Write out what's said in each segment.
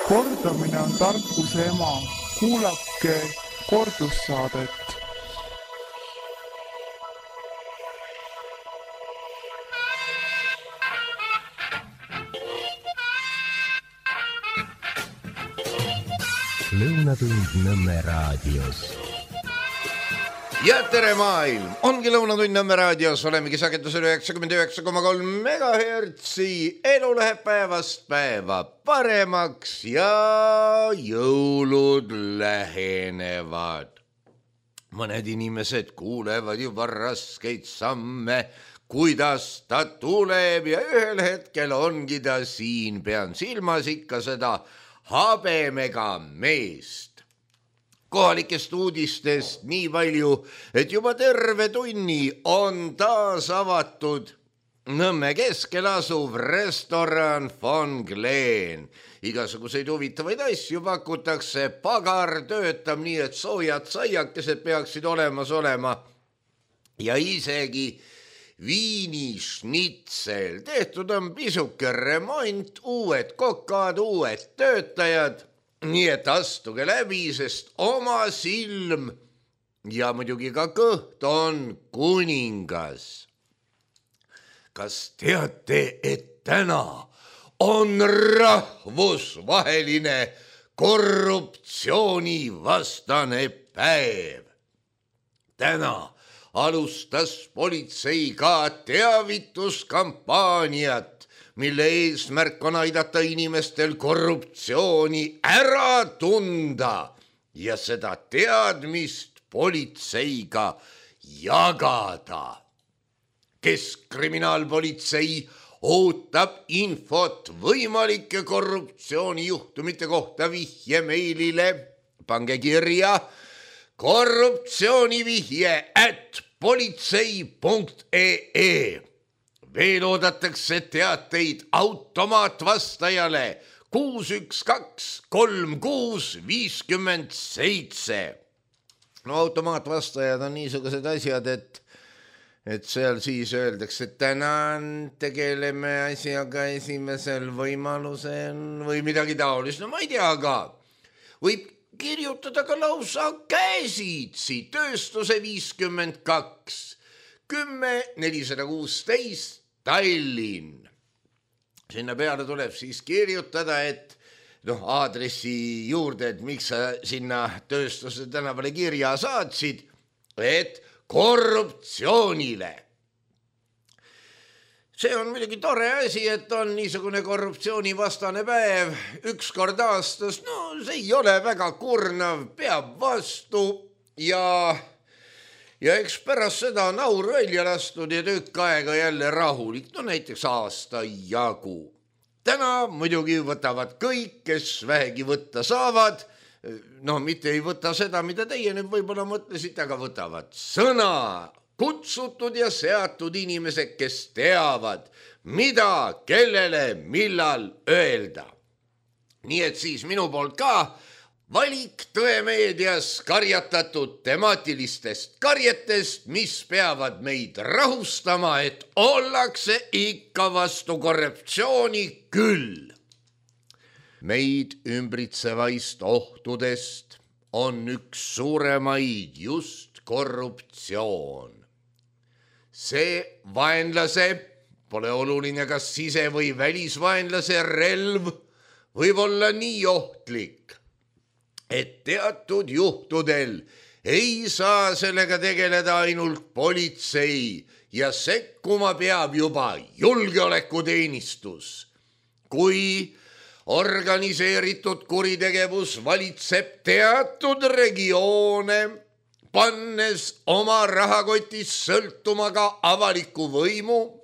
Kordamine on tarkuse ema. Kuulake kordussaadet. Lõunatund Nõmme raadios. Ja tere maailm! Ongi Lõunatund Nõmme raadios, olemegi sagedusel 99,3 MHz. Elu läheb päevast päeva paremaks ja jõulud lähenevad. Mõned inimesed kuulevad juba raskeid samme, kuidas ta tuleb ja ühel hetkel ongi ta siin. Pean silmas ikka seda habemega meest. Kohalikest uudistest nii palju, et juba terve tunni on taas avatud Nõmme keskel asuv restoran Von Glen. Igasuguseid huvitavaid asju pakutakse, pagar töötab nii, et soojad saiakesed peaksid olemas olema ja isegi viinišnitsel. Tehtud on pisuke remont, uued kokad, uued töötajad, nii et astuge läbi, sest oma silm ja muidugi ka kõht on kuningas. Kas teate, et täna on rahvusvaheline korruptsioonivastane päev? Täna alustas politsei ka teavituskampaaniat, mille eesmärk on aidata inimestel korruptsiooni ära tunda ja seda teadmist politseiga jagada. Keskkriminaalpolitsei ootab infot võimalike korruptsioonijuhtumite kohta vihje meilile. Pange kirja korruptsioonivihje@politsei.ee. Veel oodatakse teateid automaatvastajale 612 36 57. No automaatvastajad on niisugused asjad, et seal siis öeldakse, et tänan, tegeleme asjaga esimesel võimalusel või midagi taolist. No ma ei tea, aga võib kirjutada ka lausa käsitsi tööstuse 52 10 416 Tallinn. Sinna peale tuleb siis kirjutada, et aadressi juurde, et miks sa sinna tööstuse tänavale kirja saatsid, et korruptsioonile. See on muidugi tore asi, et on niisugune korruptsioonivastane päev üks kord aastas. No see ei ole väga kurnav, peab vastu ja eks pärast seda on aur välja lastud ja tükk aega jälle rahulik. No näiteks aasta jagu. Täna muidugi võtavad kõik, kes vähegi võtta saavad. No mitte ei võta seda, mida teie nüüd võib-olla mõtlesite, aga võtavad sõna. Kutsutud ja seatud inimesed, kes teavad, mida, kellele, millal öelda. Nii et siis minu poolt ka valik Tõemeedias karjatatud temaatilistest karjetest, mis peavad meid rahustama, et ollakse ikka vastu korruptsiooni küll. Meid ümbritsevaist ohtudest on üks suuremaid just korruptsioon. See vaenlase, pole oluline kas sise- või välisvaenlase relv, võib olla nii ohtlik, et teatud juhtudel ei saa sellega tegeleda ainult politsei ja sekkuma peab juba julgeolekuteenistus. Kui organiseeritud kuritegevus valitseb teatud regioone, pannes oma rahakotis sõltuma ka avaliku võimu,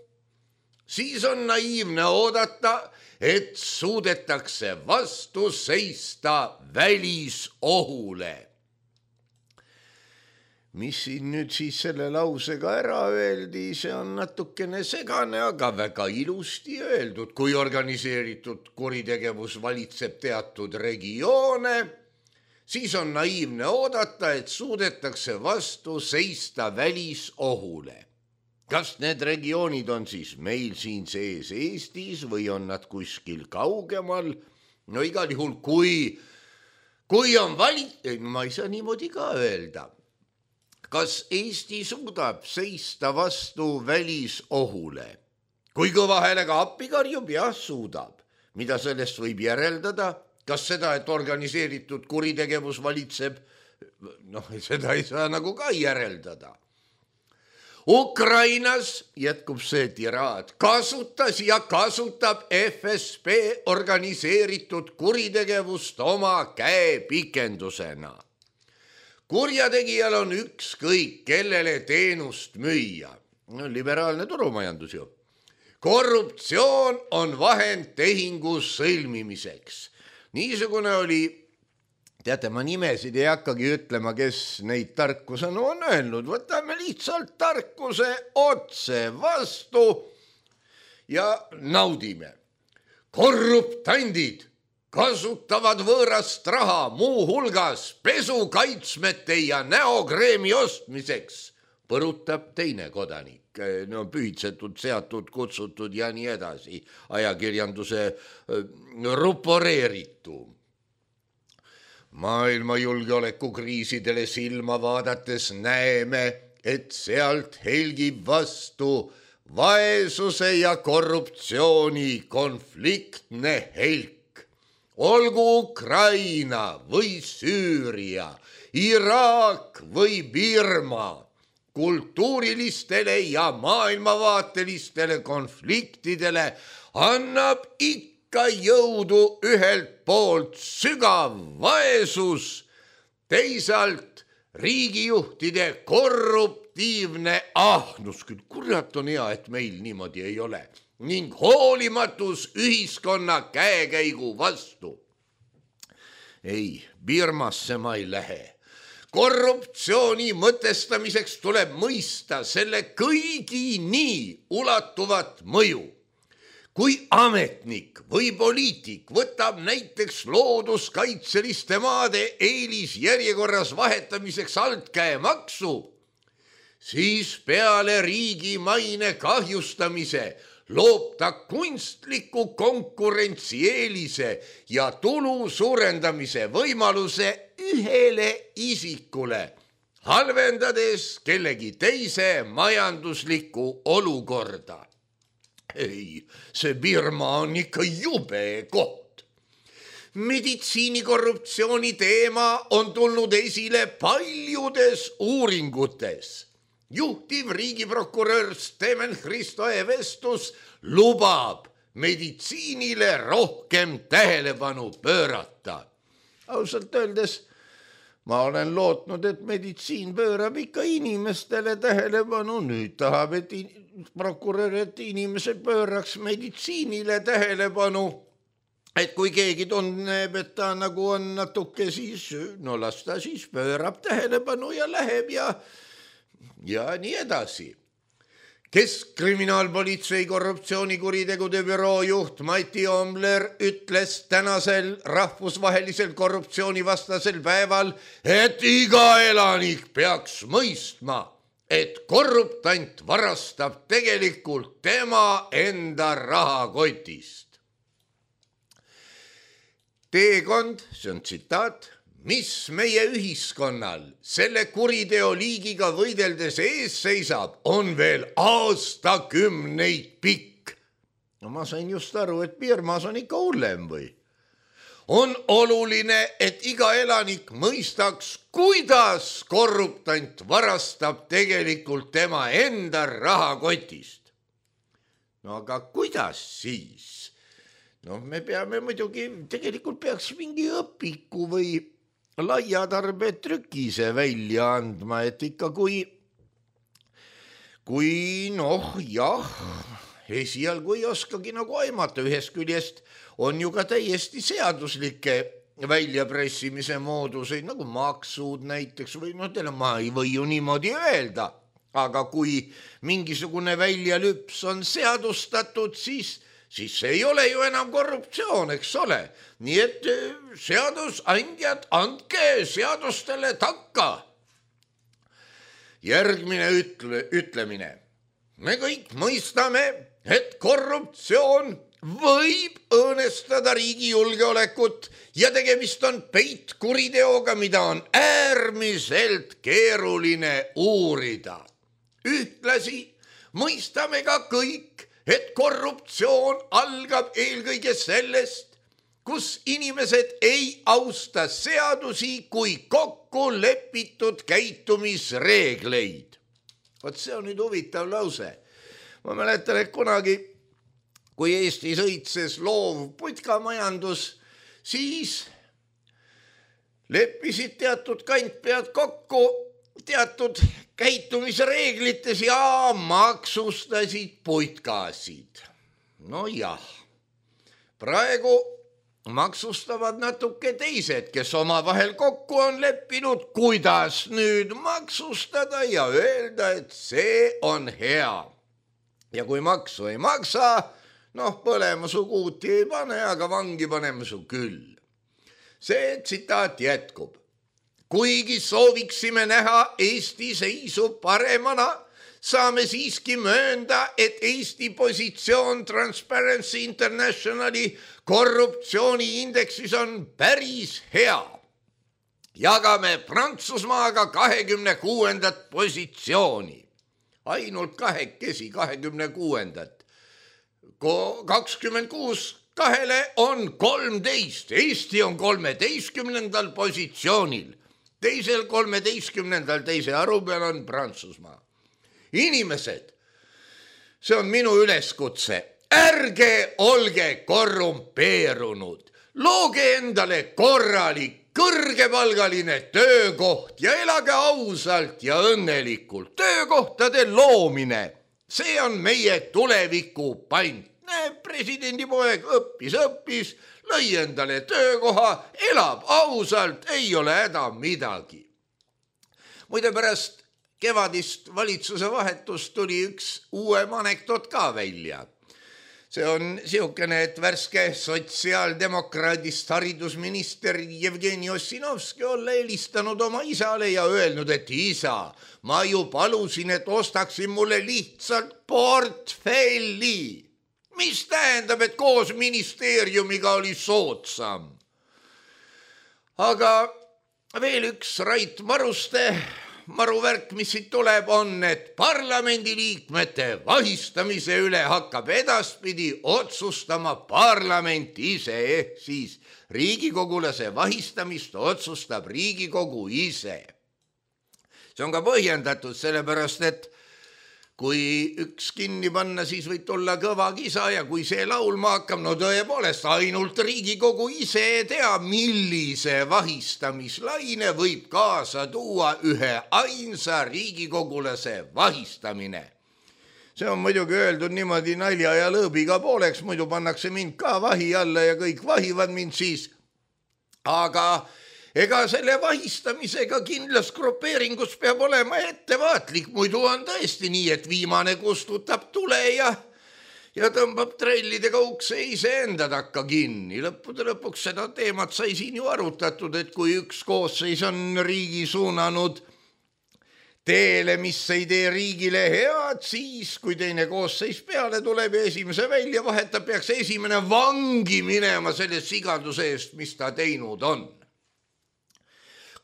siis on naiivne oodata, et suudetakse vastu seista välisohule. Mis siin nüüd siis selle lausega ära öeldi, see on natukene segane, aga väga ilusti öeldud. Kui organiseeritud kuritegevus valitseb teatud regioone, siis on naiivne oodata, et suudetakse vastu seista välisohule. Kas need regioonid on siis meil siin sees Eestis või on nad kuskil kaugemal? no igal juhul, kui on ma ei saa niimoodi ka öelda. Kas Eesti suudab seista vastu välisohule? Kui kõva häälega appi karjub, jah, suudab. Mida sellest võib järeldada? Kas seda, et organiseeritud kuritegevus valitseb? Seda ei saa nagu ka järeldada. Ukrainas jätkub see tiraad. Kasutas ja kasutab FSB organiseeritud kuritegevust oma käepikendusena. Kurjategijal on ükskõik, kellele teenust müüa. Liberaalne turumajandus ju. Korruptsioon on vahend tehingu sõlmimiseks. Niisugune oli, teate, ma nimesid ei hakkagi ütlema, kes neid tarkusena on öelnud. Võtame lihtsalt tarkuse otse vastu ja naudime. Korruptandid kasutavad võõrast raha muu hulgas pesukaitsmete ja näokreemi ostmiseks, põrutab teine kodanik. Pühitsetud, seatud, kutsutud ja nii edasi. Ajakirjanduse ruporeeritu. Maailma julgeolekukriisidele silma vaadates näeme, et sealt helgib vastu vaesuse ja korruptsiooni konfliktne helk. Olgu Ukraina või Süüria, Iraak või Birma, kultuurilistele ja maailmavaatelistele konfliktidele annab ikka jõudu ühelt poolt sügav vaesus, teisalt riigijuhtide korruptiivne ahnus. Küll kurat on hea, et meil niimoodi ei ole. Ning hoolimatus ühiskonna käekäigu vastu. Ei, Birmasse ma ei lähe. Korruptsiooni mõtestamiseks tuleb mõista selle kõigini ulatuvat mõju. Kui ametnik või poliitik võtab näiteks looduskaitseliste maade eelisjärjekorras vahetamiseks altkäemaksu, siis peale riigi maine kahjustamise loob ta kunstliku konkurentsieelise ja tulu suurendamise võimaluse ühele isikule, halvendades kellegi teise majanduslikku olukorda. Ei, see Birma on ikka jube koht. Meditsiinikorruptsiooni teema on tulnud esile paljudes uuringutes. Juhtiv riigiprokurör Steven Hristo Evestus lubab meditsiinile rohkem tähelepanu pöörata. Ausalt öeldes ma olen lootnud, et meditsiin pöörab ikka inimestele tähelepanu. Nüüd tahab, et prokurör, et inimesed pööraks meditsiinile tähelepanu. Et kui keegi tunneb, et ta nagu on natuke, siis las ta siis pöörab tähelepanu ja läheb ja nii edasi. Keskkriminaalpolitsei korruptsioonikuritegude büroo juht Mati Omler ütles tänasel rahvusvahelisel korruptsioonivastasel päeval, et iga elanik peaks mõistma, et korruptant varastab tegelikult tema enda rahakotist. Teekond, see on tsitaat, mis meie ühiskonnal selle kuriteoliigiga võideldes ees seisab, on veel aastakümneid pikk. No ma sain just aru, et Birmas on ikka hullem või? On oluline, et iga elanik mõistaks, kuidas korruptant varastab tegelikult tema enda rahakotist. No aga kuidas siis? No me peame muidugi, tegelikult peaks mingi õpiku või laiatarbetrükise välja andma, et ikka kui esialgu ei oskagi nagu aimata, ühest küljest on ju ka täiesti seaduslikke väljapressimise mooduseid, nagu maksud näiteks või ma ei või ju niimoodi öelda, aga kui mingisugune väljalüps on seadustatud, siis see ei ole ju enam korruptsioon, eks ole. Nii et seadusandjad, andke seadustele takka. Järgmine ütlemine. Me kõik mõistame, et korruptsioon võib ohestada riigi julgeolekut ja tegemist on peitkuriteoga, mida on äärmiselt keeruline uurida. Ühtlasi mõistame ka kõik, et korruptsioon algab eelkõige sellest, kus inimesed ei austa seadusi kui kokku lepitud käitumisreegleid. Vot see on nüüd huvitav lause. Ma mäletan, et kunagi, kui Eesti sõitses loov putkamajandus, siis leppisid teatud kantpead kokku teatud käitumisreeglites ja maksustasid putkasid. No jah, praegu maksustavad natuke teised, kes omavahel kokku on leppinud, kuidas nüüd maksustada ja öelda, et see on hea. Ja kui maksu ei maksa, põlema su kuuti ei pane, aga vangi paneme su küll. See tsitaat jätkub. Kuigi sooviksime näha Eesti seisu paremana, saame siiski möönda, et Eesti positsioon Transparency Internationali korruptsiooniindeksis on päris hea. Jagame Prantsusmaaga 26. positsiooni. Ainult kahekesi 26. 26 kahele on 13. Eesti on 13. positsioonil. Teisel 13. teise arvu peal on Prantsusmaa. Inimesed, see on minu üleskutse. Ärge olge korrumpeerunud. Looge endale korralik, kõrgepalgaline töökoht ja elage ausalt ja õnnelikult. Töökohtade loomine, see on meie tuleviku pant. Presidendi poeg õppis, lõi endale töökoha, elab ausalt, ei ole häda midagi. Muide pärast kevadist valitsuse vahetust tuli üks uuem anekdoot ka välja. See on siukene, et värske sotsiaaldemokraadist haridusminister Jevgeni Ossinovski olla helistanud oma isale ja öelnud, et isa, ma ju palusin, et ostaksin mulle lihtsalt portfelli. Mis tähendab, et koos ministeeriumiga oli soodsam. Aga veel üks Rait Maruste maruvärk, mis siit tuleb, on, et parlamendiliikmete vahistamise üle hakkab edaspidi otsustama parlament ise, ehk siis riigikogulase vahistamist otsustab Riigikogu ise. See on ka põhjendatud, sellepärast, et kui üks kinni panna, siis võib tulla kõva kisa ja kui see laulma hakkab, tõepoolest ainult Riigikogu ise tea, millise vahistamislaine võib kaasa tuua ühe ainsa riigikogulase vahistamine. See on muidugi öeldud niimoodi nalja ja lõõbiga pooleks, muidu pannakse mind ka vahi alla ja kõik vahivad mind siis. Aga ega selle vahistamisega kindlas grupeeringus peab olema ettevaatlik, muidu on tõesti nii, et viimane kustutab tule ja tõmbab trellidega ukse iseenda takka kinni. Lõppude lõpuks seda teemat sai siin ju arutatud, et kui üks koosseis on riigi suunanud teele, mis ei tee riigile head, siis kui teine koosseis peale tuleb ja esimese välja vahetab, peaks esimene vangi minema selle sigaduse eest, mis ta teinud on.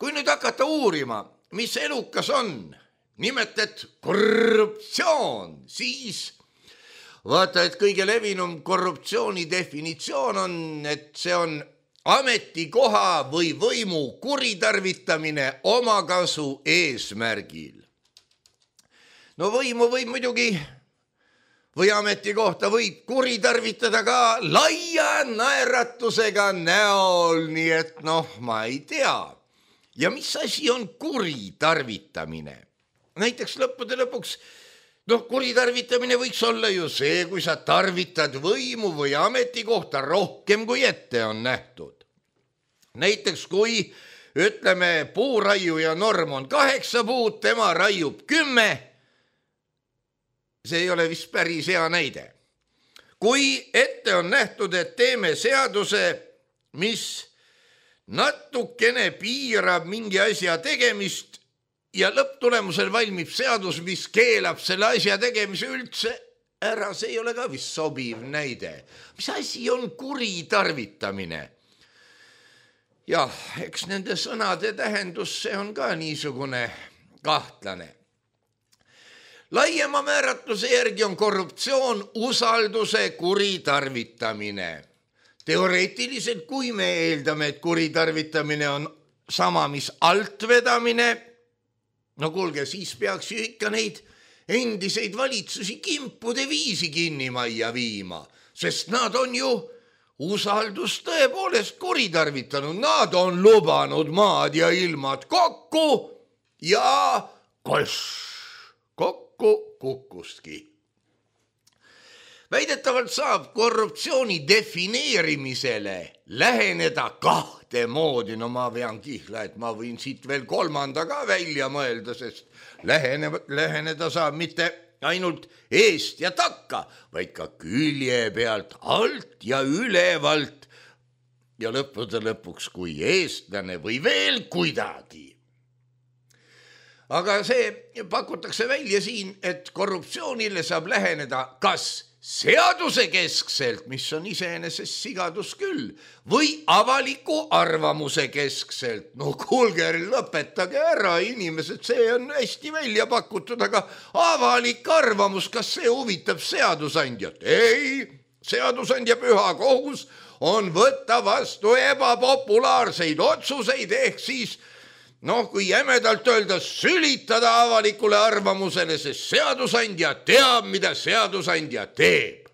Kui nüüd hakata uurima, mis elukas on, nimelt et korruptsioon, siis vaata, et kõige levinum korruptsiooni definitsioon on, et see on ametikoha või võimu kuritarvitamine omakasu eesmärgil. Võimu võib muidugi või ametikohta võib kuritarvitada ka laia naeratusega näol, nii et ma ei tea. Ja mis asi on kuritarvitamine? Näiteks lõppude lõpuks, kuritarvitamine võiks olla ju see, kui sa tarvitad võimu või ametikohta rohkem kui ette on nähtud. Näiteks kui, ütleme, puuraiuja norm on 8 puud, tema raiub 10, see ei ole vist päris hea näide. Kui ette on nähtud, et teeme seaduse, mis natukene piirab mingi asja tegemist ja lõpptulemusel valmib seadus, mis keelab selle asja tegemise üldse, ära, see ei ole ka vist sobiv näide. Mis asi on kuritarvitamine? Jah, eks nende sõnade tähendus, see on ka niisugune kahtlane. Laiema määratluse järgi on korruptsioon usalduse kuritarvitamine. Teoreetiliselt, kui me eeldame, et kuritarvitamine on sama, mis altvedamine, no kuulge, siis peaks ju ikka neid endiseid valitsusi kimpude viisi kinnimajja viima, sest nad on ju usaldust tõepoolest kuritarvitanud. Nad on lubanud maad ja ilmad kokku ja kokku kukkustki. Väidetavalt saab korruptsiooni defineerimisele läheneda kahte moodi. No ma vean kihla, et ma võin siit veel kolmanda ka välja mõelda, sest läheneda saab mitte ainult eest ja takka, vaid ka külje pealt, alt ja ülevalt ja lõppude lõpuks kui eestlane või veel kuidagi. Aga see pakutakse välja siin, et korruptsioonile saab läheneda kas seaduse keskselt, mis on iseenesest sigadus küll, või avaliku arvamuse keskselt. No kuulge, lõpetage ära, inimesed, see on hästi välja pakutud, aga avalik arvamus, kas see huvitab seadusandjat? Ei, seadusandja püha kohus on võtta vastu ebapopulaarseid otsuseid, ehk siis kui jämedalt öelda, sülitada avalikule arvamusele, sest seadusandja teab, mida seadusandja teeb.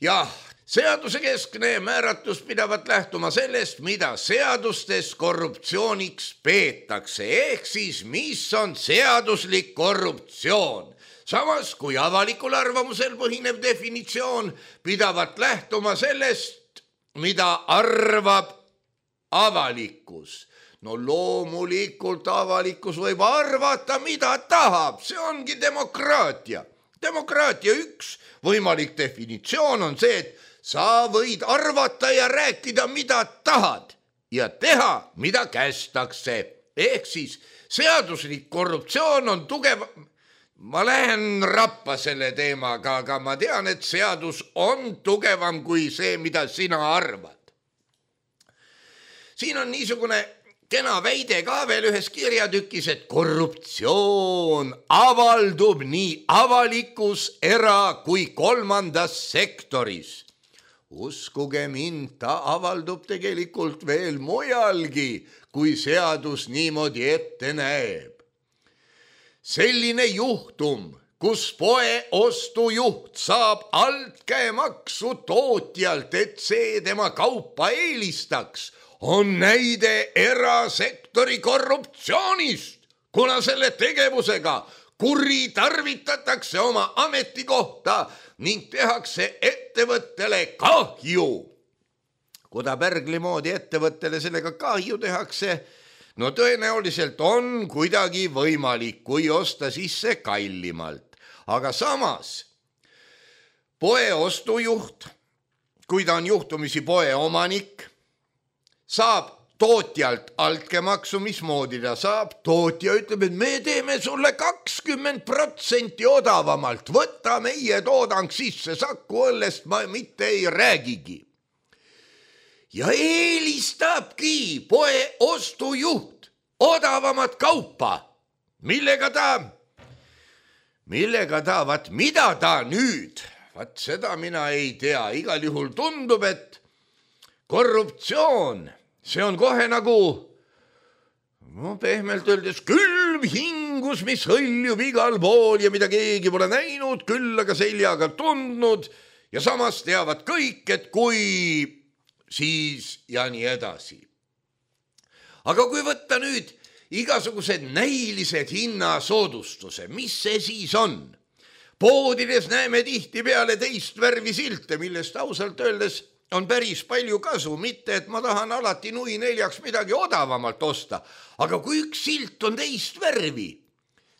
Jah, seaduse keskne määratlus pidavat lähtuma sellest, mida seadustes korruptsiooniks peetakse, ehk siis mis on seaduslik korruptsioon. Samas, kui avalikul arvamusel põhinev definitsioon pidavat lähtuma sellest, mida arvab avalikkus. No loomulikult avalikkus võib arvata, mida tahab, see ongi demokraatia. Demokraatia üks võimalik definitsioon on see, et sa võid arvata ja rääkida, mida tahad ja teha, mida kästakse. Ehk siis seaduslik korruptsioon on tugev. Ma lähen rappa selle teemaga, aga ma tean, et seadus on tugevam kui see, mida sina arvad. Siin on niisugune kena väide ka veel ühes kirjatükis, et korruptsioon avaldub nii avalikus, era- kui kolmandas sektoris. Uskuge mind, ta avaldub tegelikult veel mujalgi, kui seadus niimoodi ette näeb. Selline juhtum, kus poe ostujuht saab altkäemaksu tootjalt, et see tema kaupa eelistaks, on näide erasektori korruptsioonist, kuna selle tegevusega kuritarvitatakse oma ametikohta ning tehakse ettevõttele kahju. Kuda Pärgli moodi ettevõttele sellega kahju tehakse, no tõenäoliselt on kuidagi võimalik, kui osta sisse kallimalt. Aga samas poe ostujuht, kui ta on juhtumisi poe omanik, saab tootjalt altkäemaksu, mismoodi ta saab. Tootja ütleb, et me teeme sulle 20% odavamalt, võta meie toodang sisse, Saku Õllest ma mitte ei räägigi. Ja eelistabki poe ostujuht odavamat kaupa. Millega ta, vaat mida ta nüüd, vaat seda mina ei tea. Igal juhul tundub, et korruptsioon, see on kohe nagu, pehmelt öeldes, külm hingus, mis hõljub igal pool ja mida keegi pole näinud, küll aga seljaga tundnud ja samas teavad kõik, et kui siis ja nii edasi. Aga kui võtta nüüd igasugused näilised hinnasoodustuse, mis see siis on? Poodides näeme tihtipeale teist värvi silte, millest ausalt öeldes on päris palju kasu, mitte et ma tahan alati nui neljaks midagi odavamalt osta, aga kui üks silt on teist värvi,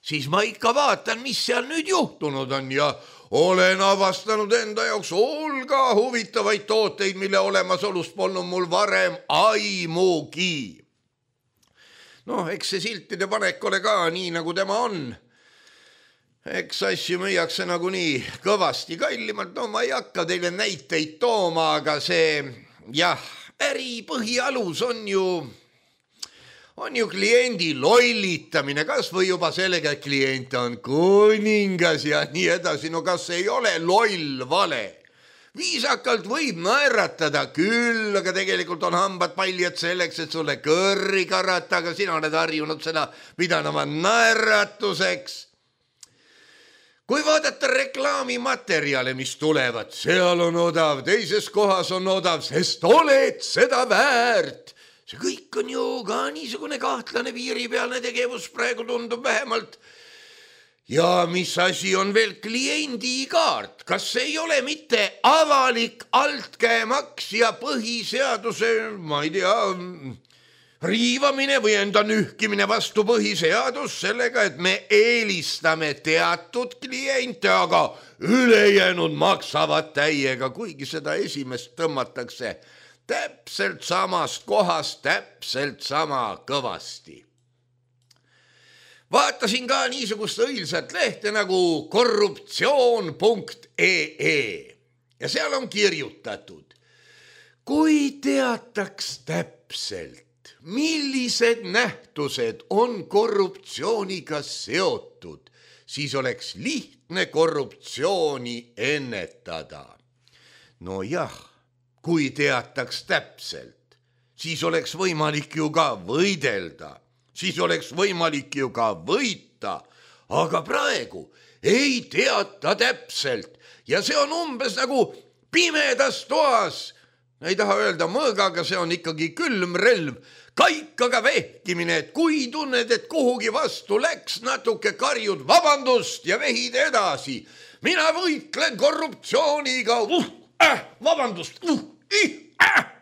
siis ma ikka vaatan, mis seal nüüd juhtunud on ja olen avastanud enda jaoks hulga huvitavaid tooteid, mille olemasolust polnud mul varem aimugi. Eks see siltide panek ole ka nii, nagu tema on. Eks asju müüakse nagunii kõvasti kallimalt, no ma ei hakka teile näiteid tooma, aga see äri põhialus on ju kliendi lollitamine, kas või juba sellega, et klient on kuningas ja nii edasi, no kas ei ole loll vale? Viisakalt võib naeratada küll, aga tegelikult on hambad paljad selleks, et sulle kõrri karata, aga sina oled harjunud seda pidama naeratuseks. Kui vaadata reklaamimaterjale, mis tulevad, seal on odav, teises kohas on odav, sest oled seda väärt. See kõik on ju ka niisugune kahtlane piiripealne tegevus, praegu tundub vähemalt. Ja mis asi on veel kliendikaart? Kas ei ole mitte avalik altkäemaks ja põhiseaduse, ma ei tea, riivamine või enda nühkimine vastu põhiseadus sellega, et me eelistame teatud kliente, aga ülejäänud maksavad täiega, kuigi seda esimest tõmmatakse täpselt samast kohast, täpselt sama kõvasti. Vaatasin ka niisugust õilsat lehte nagu korruptsioon.ee ja seal on kirjutatud, kui teataks täpselt, millised nähtused on korruptsiooniga seotud, siis oleks lihtne korruptsiooni ennetada. No jah, kui teataks täpselt, siis oleks võimalik ju ka võidelda. Siis oleks võimalik ju ka võita, aga praegu ei teata täpselt ja see on umbes nagu pimedas toas. Ei taha öelda mõõgaga, see on ikkagi külmrelv, kaikaga vehkimine, et kui tunned, et kuhugi vastu läks, natuke karjud vabandust ja vehid edasi. Mina võitlen korruptsiooniga,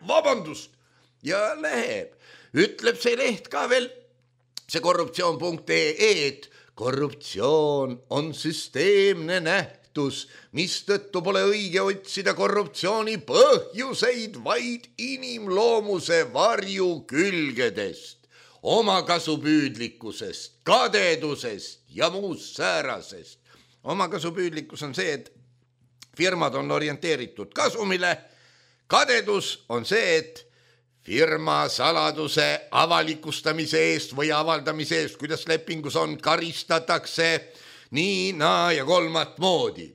vabandust ja läheb. Ütleb see leht ka veel, see korruptsioon.ee, et korruptsioon on süsteemne nähtus, mistõttu pole õige otsida korruptsiooni põhjuseid vaid inimloomuse varjukülgedest, omakasupüüdlikkusest, kadedusest ja muust säärasest. Omakasupüüdlikkus on see, et firmad on orienteeritud kasumile, kadedus on see, et firma saladuse avalikustamise eest või avaldamise eest, kuidas lepingus on, karistatakse nii, naa ja kolmat moodi.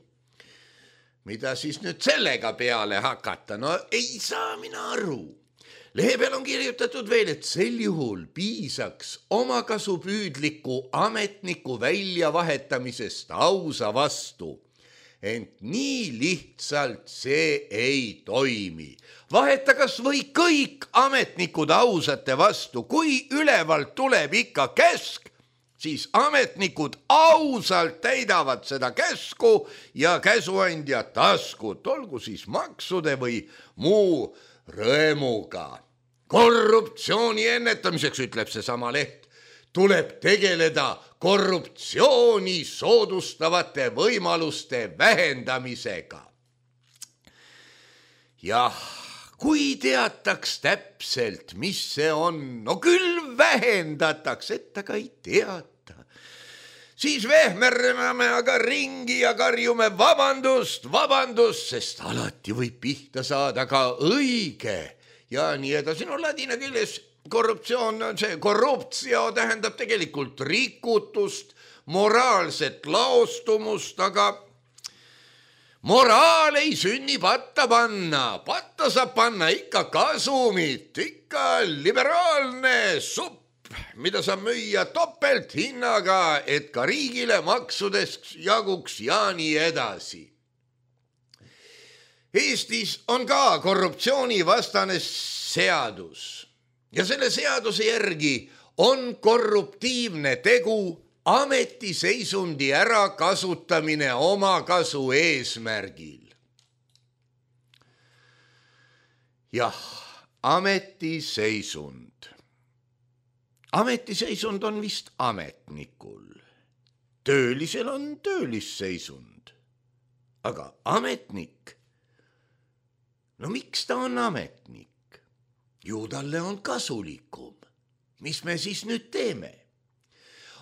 Mida siis nüüd sellega peale hakata? No ei saa mina aru. Lehe peal on kirjutatud veel, et sel juhul piisaks omakasupüüdliku ametniku väljavahetamisest ausa vastu. Ent nii lihtsalt see ei toimi. Vaheta kas või kõik ametnikud ausate vastu, kui ülevalt tuleb ikka käsk, siis ametnikud ausalt täidavad seda käsku ja käsuandja taskut, olgu siis maksude või muu rõemuga. Korruptsiooni ennetamiseks, ütleb see sama leht, tuleb tegeleda korruptsiooni soodustavate võimaluste vähendamisega. Jah, kui teataks täpselt, mis see on, no küll vähendataks, et aga ei teata. Siis vehmereme aga ringi ja karjume vabandust, sest alati võib pihta saada ka õige ja nii edasi. No ladina keeles korruptsioon on see, korruptio tähendab tegelikult rikutust, moraalset laostumust, aga moraal ei sünni patta panna. Patta saab panna ikka kasumit, ikka liberaalne supp, mida saab müüa topelthinnaga, et ka riigile maksudest jaguks ja nii edasi. Eestis on ka korruptsioonivastane seadus. Ja selle seaduse järgi on korruptiivne tegu ametiseisundi ärakasutamine omakasu eesmärgil. Jah, ametiseisund. Ametiseisund on vist ametnikul. Töölisel on töölisseisund. Aga ametnik? No miks ta on ametnik? Ju talle on kasulikum. Mis me siis nüüd teeme?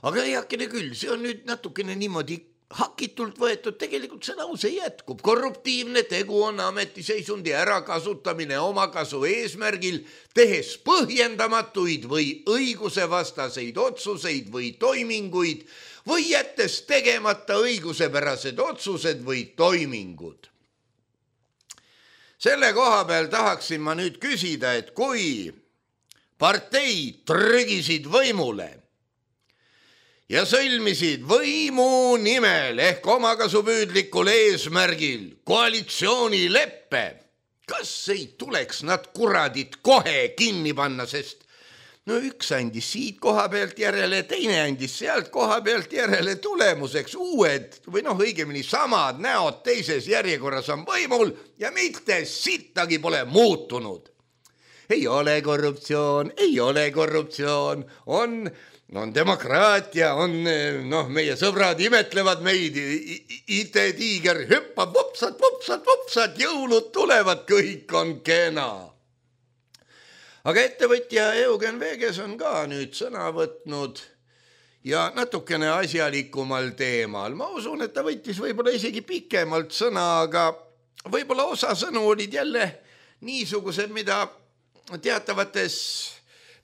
Aga heakene küll, see on nüüd natukene niimoodi hakitult võetud tegelikult see lause jätkub. Korruptiivne tegu on ametiseisundi ärakasutamine omakasu eesmärgil, tehes põhjendamatuid või õigusevastaseid otsuseid või toiminguid või jättes tegemata õigusepärased otsused või toimingud. Selle koha peal tahaksin ma nüüd küsida, et kui parteid trügisid võimule ja sõlmisid võimu nimel ehk omakasupüüdlikul eesmärgil koalitsioonileppe, kas ei tuleks nad kuradid kohe kinni panna, sest no üks andis siit koha pealt järele, teine andis sealt koha pealt järele, tulemuseks uued või õigemini samad näod teises järjekorras on võimul ja mitte sittagi pole muutunud. Ei ole korruptsioon, on demokraatia, on meie sõbrad imetlevad meid, IT-tiiger hüppab, vupsad, jõulud tulevad, kõik on kena. Aga ettevõtja Eugen Veges on ka nüüd sõna võtnud ja natukene asjalikumal teemal. Ma usun, et ta võttis võib-olla isegi pikemalt sõna, aga võib-olla osa sõnu olid jälle niisugused, mida teatavates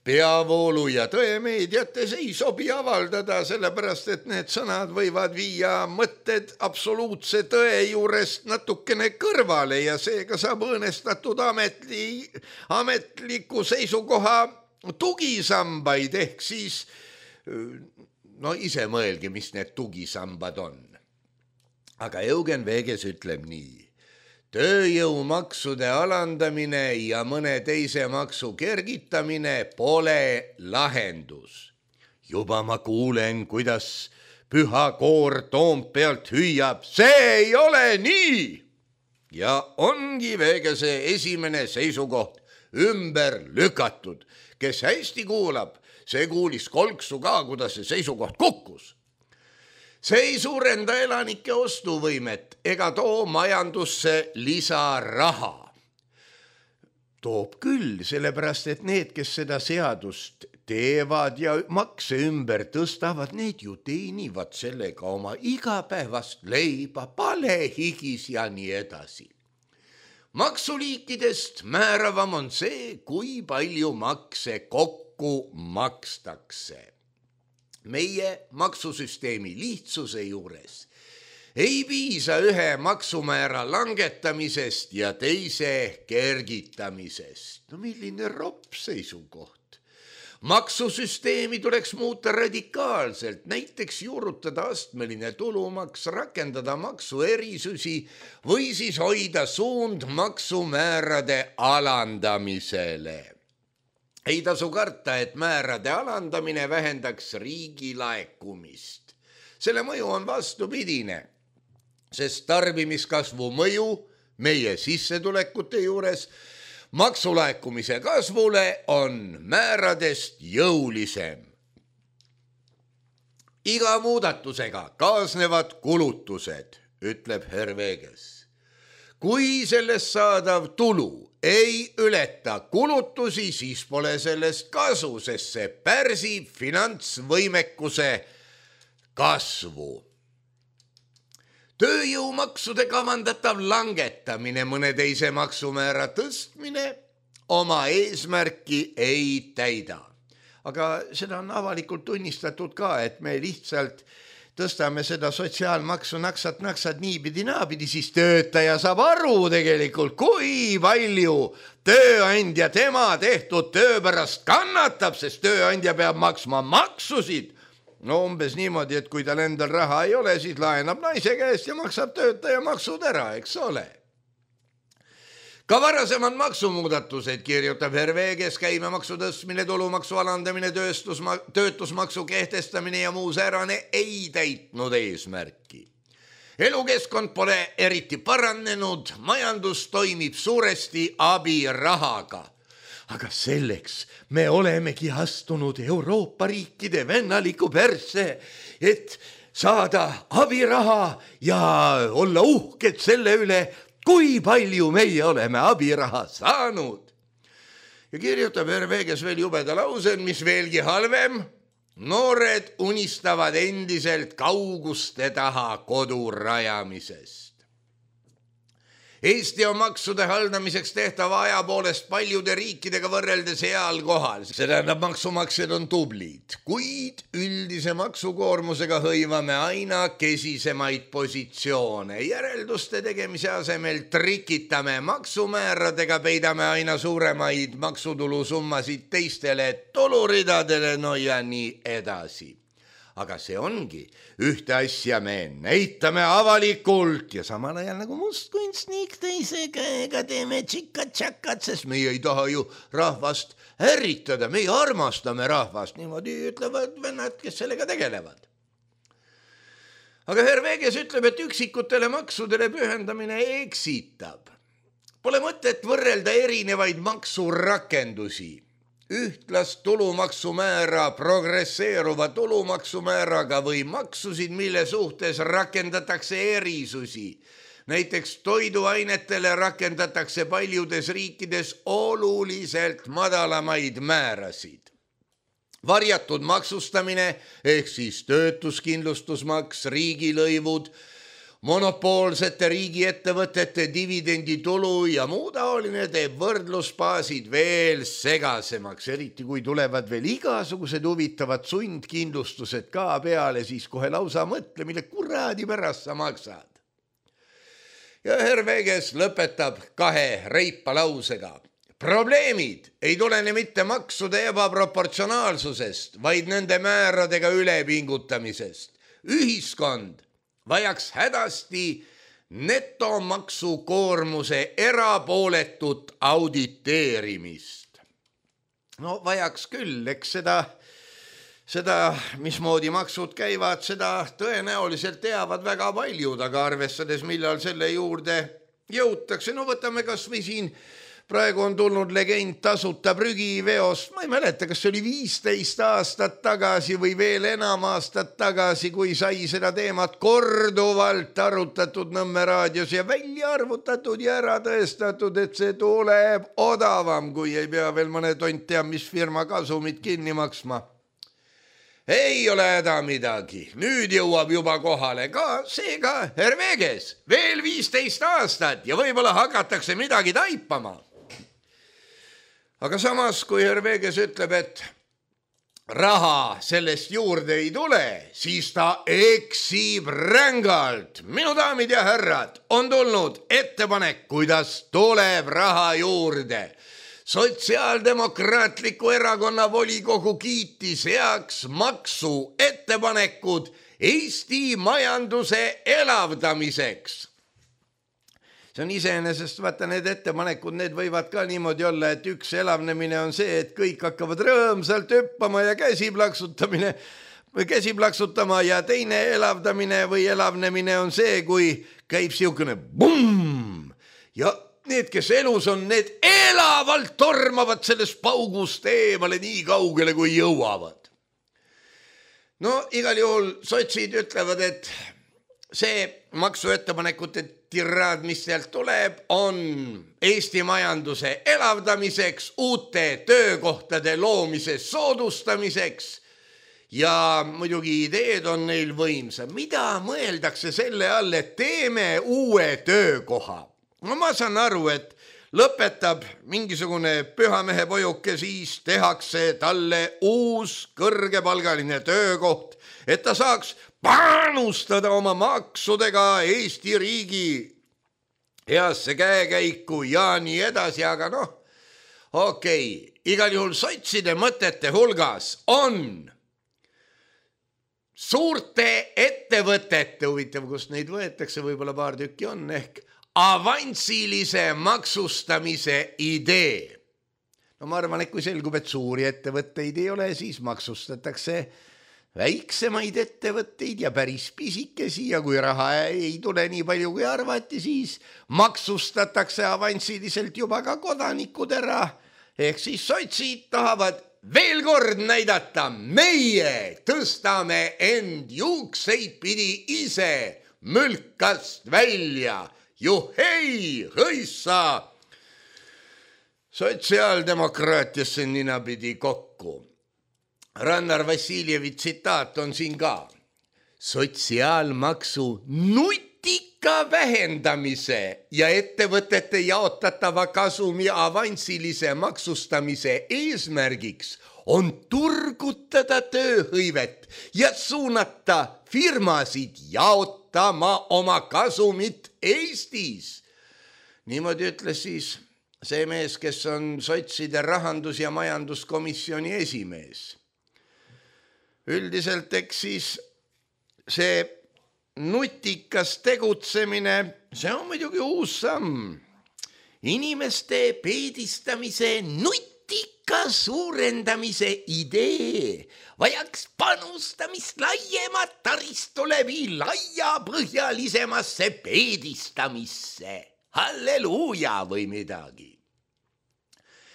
peavoolu ja tõemeediates ei sobi avaldada, sellepärast et need sõnad võivad viia mõtted absoluutse tõe juurest natukene kõrvale ja seega saab õõnestatud ametliku seisukoha tugisambaid ehk siis ise mõelge, mis need tugisambad on. Aga Eugen Veges ütleb nii. Tööjõumaksude alandamine ja mõne teise maksu kergitamine pole lahendus. Juba ma kuulen, kuidas püha koor Toompealt hüüab, see ei ole nii. Ja ongi Vegese esimene seisukoht ümber lükatud. Kes hästi kuulab, see kuulis kolksu ka, kuidas see seisukoht kukkus. See ei suurenda elanike ostuvõimet ega too majandusse lisaraha. Toob küll, sellepärast et need, kes seda seadust teevad ja makse ümber tõstavad, need ju teenivad sellega oma igapäevast leiba, palehigis ja nii edasi. Maksuliikidest määravam on see, kui palju makse kokku makstakse. Meie maksusüsteemi lihtsuse juures ei piisa ühe maksumäära langetamisest ja teise kergitamisest. Milline ropp seisukoht. Maksusüsteemi tuleks muuta radikaalselt, näiteks juurutada astmeline tulumaks, rakendada maksuerisusi või siis hoida suund maksumäärade alandamisele. Ei tasu karta, et määrade alandamine vähendaks riigi laekumist. Selle mõju on vastupidine, sest tarbimiskasvu mõju meie sissetulekute juures maksulaekumise kasvule on määradest jõulisem. Iga muudatusega kaasnevad kulutused, ütleb Herr Veges. Kui sellest saadav tulu ei ületa kulutusi, siis pole sellest kasu, sest see pärsib finantsvõimekuse kasvu. Tööjõumaksude kavandatav langetamine, mõne teise maksumäära tõstmine oma eesmärki ei täida. Aga seda on avalikult tunnistatud ka, et me lihtsalt tõstame seda sotsiaalmaksu naksad niipidi naapidi, siis töötaja saab aru tegelikult, kui palju tööandja tema tehtud töö pärast kannatab, sest tööandja peab maksma maksusid. Umbes niimoodi, et kui tal endal raha ei ole, siis laenab naise käest ja maksab töötaja maksud ära, eks ole. Ka varasemad maksumuudatused, kirjutab Herr Veges, käibemaksu tõstmine, tulumaksu alandamine, töötusmaksu kehtestamine ja muu säärane ei täitnud eesmärki. Elukeskkond pole eriti paranenud, majandus toimib suuresti abirahaga. Aga selleks me olemegi astunud Euroopa riikide vennaliku persse, et saada abiraha ja olla uhked selle üle, kui palju meie oleme abiraha saanud. Ja kirjutab Herr Veges veel jubeda lausel, mis veelgi halvem, Noored unistavad endiselt kauguste taha kodu rajamisest. Eesti on maksude haldamiseks tehtava aja poolest paljude riikidega võrreldes heal kohal. See tähendab, maksumaksjad on tublid, kuid üldise maksukoormusega hõivame aina kesisemaid positsioone. Järelduste tegemise asemel trikitame maksumääradega, peidame aina suuremaid maksutulususummasid teistele tuluridadele, no ja nii edasi. Aga see ongi ühte asja me näitame avalikult ja samal ajal nagu mustkunstnik teise käega teeme tšikka-tšakkat, sest meie ei taha ju rahvast ärritada, meie armastame rahvast, niimoodi ütlevad vennad, kes sellega tegelevad. Aga Herr Veges ütleb, et üksikutele maksudele pühendamine eksitab. Pole mõtet võrrelda erinevaid maksurakendusi. Ühtlast tulumaksumäära progresseeruva tulumaksumääraga või maksusid, mille suhtes rakendatakse erisusi. Näiteks toiduainetele rakendatakse paljudes riikides oluliselt madalamaid määrasid. Varjatud maksustamine ehk siis töötuskindlustusmaks, riigilõivud, monopoolsete riigiettevõtete dividenditulu ja muu taoline teeb võrdlusbaasid veel segasemaks, eriti kui tulevad veel igasugused huvitavad sundkindlustused ka peale, siis kohe lausa mõtle, mille kuradi pärast sa maksad. Ja Herr Veges lõpetab 2 reipa lausega. Probleemid ei tulene mitte maksude ebaproportsionaalsusest, vaid nende määradega ülepingutamisest. Ühiskond vajaks hädasti netomaksukoormuse erapooletut auditeerimist. No vajaks küll, eks seda, mismoodi maksud käivad, seda tõenäoliselt teavad väga paljud, aga arvestades, millal selle juurde jõutakse, no võtame kas või siin praegu on tulnud legend tasuta prügiveost, ma ei mäleta, kas see oli 15 aastat tagasi või veel enam aastat tagasi, kui sai seda teemat korduvalt arutatud Nõmme raadios ja välja arvutatud ja ära tõestatud, et see tuleb odavam, kui ei pea veel mõne tont teab, mis firma kasumit kinni maksma. Ei ole häda midagi, nüüd jõuab juba kohale ka seega Herr Veges, veel 15 aastat ja võib-olla hakatakse midagi taipama. Aga samas, kui Herr Veges ütleb, et raha sellest juurde ei tule, siis ta eksib rängalt. Minu daamid ja härrad, on tulnud ettepanek, kuidas tuleb raha juurde. Sotsiaaldemokraatliku erakonna volikogu kiitis heaks maksu ettepanekud Eesti majanduse elavdamiseks. See on iseenesest, vaata need ettepanekud, need võivad ka niimoodi olla, et üks elavnemine on see, et kõik hakkavad rõõmsalt hüppama ja käsi plaksutama ja teine elavdamine või elavnemine on see, kui käib siukene bumm ja need, kes elus on, need elavalt tormavad sellest paugust eemale nii kaugele, kui jõuavad. No igal juhul sotsid ütlevad, et see maksuettepanekute tiraad, mis sealt tuleb, on Eesti majanduse elavdamiseks, uute töökohtade loomise soodustamiseks ja muidugi ideed on neil võimsa. Mida mõeldakse selle all, et teeme uue töökoha? No ma saan aru, et lõpetab mingisugune pühamehe pojuke, siis tehakse talle uus kõrgepalgaline töökoht, et ta saaks panustada oma maksudega Eesti riigi heasse käekäiku ja nii edasi, aga okei. Igal juhul sotside mõtete hulgas on suurte ettevõtete, huvitav, kust neid võetakse, võib-olla paar tükki on, ehk avansilise maksustamise idee. No ma arvan, et kui selgub, et suuri ettevõtteid ei ole, siis maksustatakse väiksemaid ettevõtteid ja päris pisikesi ja kui raha ei tule nii palju kui arvati, siis maksustatakse avansiliselt juba ka kodanikud ära. Ehk siis sotsid tahavad veel kord näidata, meie tõstame end juukseid pidi ise mülkast välja. Juhei, hõissa! Sotsiaaldemokraatiasse ninapidi kokku. Rannar Vassiljevi tsitaat on siin ka. Sotsiaalmaksu nutika vähendamise ja ettevõtete jaotatava kasumi avansilise maksustamise eesmärgiks on turgutada tööhõivet ja suunata firmasid jaotama oma kasumit Eestis. Niimoodi ütles siis see mees, kes on sotside rahandus- ja majanduskomisjoni esimees. Üldiselt eks siis see nutikas tegutsemine, see on muidugi uus samm. Inimeste peedistamise nutika suurendamise idee vajaks panustamist laiemat taristu läbi laiapõhjalisemasse peedistamisse. Halleluuja või midagi.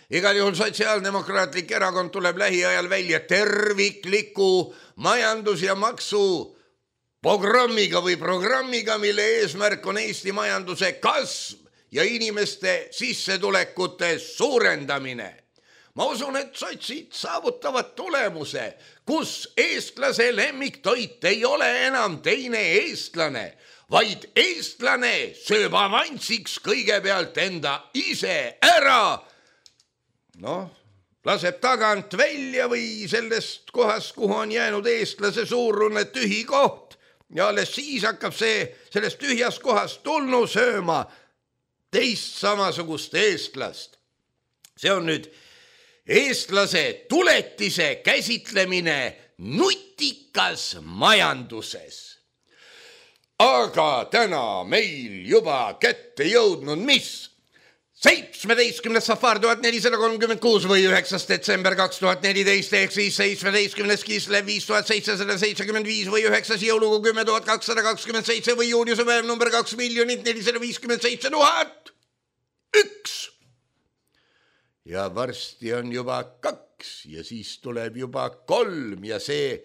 Igal juhul Sotsiaaldemokraatlik erakond tuleb lähiajal välja tervikliku majandus- ja maksu programmiga, mille eesmärk on Eesti majanduse kasv ja inimeste sissetulekute suurendamine. Ma usun, et sotsid saavutavad tulemuse, kus eestlase lemmiktoit ei ole enam teine eestlane, vaid eestlane sööb avansiks kõigepealt enda ise ära. Laseb tagant välja või sellest kohast, kuhu on jäänud eestlase suurune tühi koht ja alles siis hakkab sellest tühjast kohast tulnu sööma teist samasugust eestlast. See on nüüd eestlase tuletise käsitlemine nutikas majanduses. Aga täna meil juba kätte jõudnud mis? 17. safar 1436 või 9. detsember 2014 ehk siis 17. Kislev 5775 või 9. jõulukuu 10.227 või juuniuse päev number 2,457,001. Ja varsti on juba 2 ja siis tuleb juba 3 ja see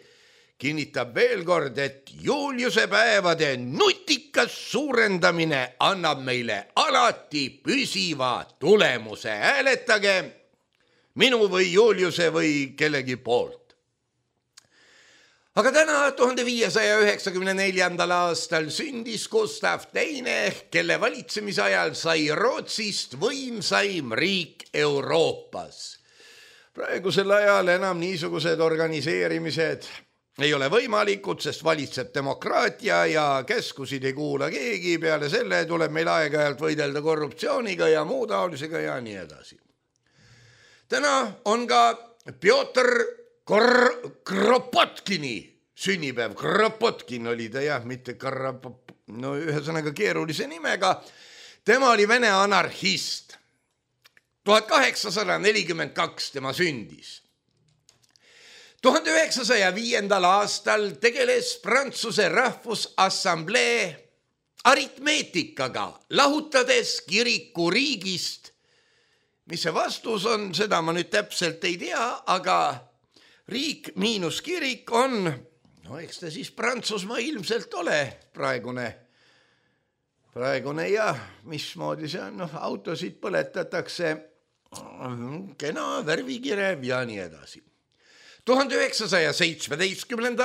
kinnitab veel kord, et Juliuse päevade nutikas suurendamine annab meile alati püsiva tulemuse. Hääletage minu või Juliuse või kellegi poolt. Aga täna 1594. aastal sündis Gustav II, kelle valitsemise ajal sai Rootsist võimsaim riik Euroopas. Praegusel ajal enam niisugused organiseerimised ei ole võimalikud, sest valitseb demokraatia ja käskusid ei kuula keegi. Peale selle tuleb meil aeg-ajalt võidelda korruptsiooniga ja muu taolisega ja nii edasi. Täna on ka Pjotr Kropotkini sünnipäev. Kropotkin oli ta jah, mitte ühesõnaga keerulise nimega. Tema oli Vene anarhist. 1842 tema sündis. 1905. aastal tegeles Prantsuse Rahvusassamblee aritmeetikaga, lahutades kiriku riigist. Mis see vastus on, seda ma nüüd täpselt ei tea, aga riik miinus kirik on, eks ta siis Prantsusmaa ilmselt ole praegune ja mismoodi see on, autosid põletatakse, kena värvikirev ja nii edasi. 1917.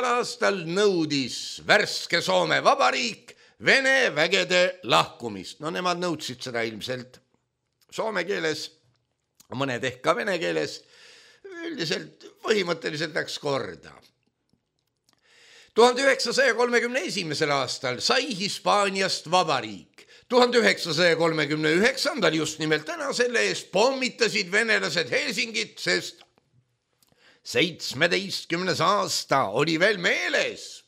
aastal nõudis värske Soome Vabariik Vene vägede lahkumist. Nemad nõudsid seda ilmselt soome keeles, mõned ehk ka vene keeles. Üldiselt põhimõtteliselt läks korda. 1931. aastal sai Hispaaniast vabariik. 1939. just nimelt täna selle eest pommitasid venelased Helsingit, sest 17. aasta oli veel meeles.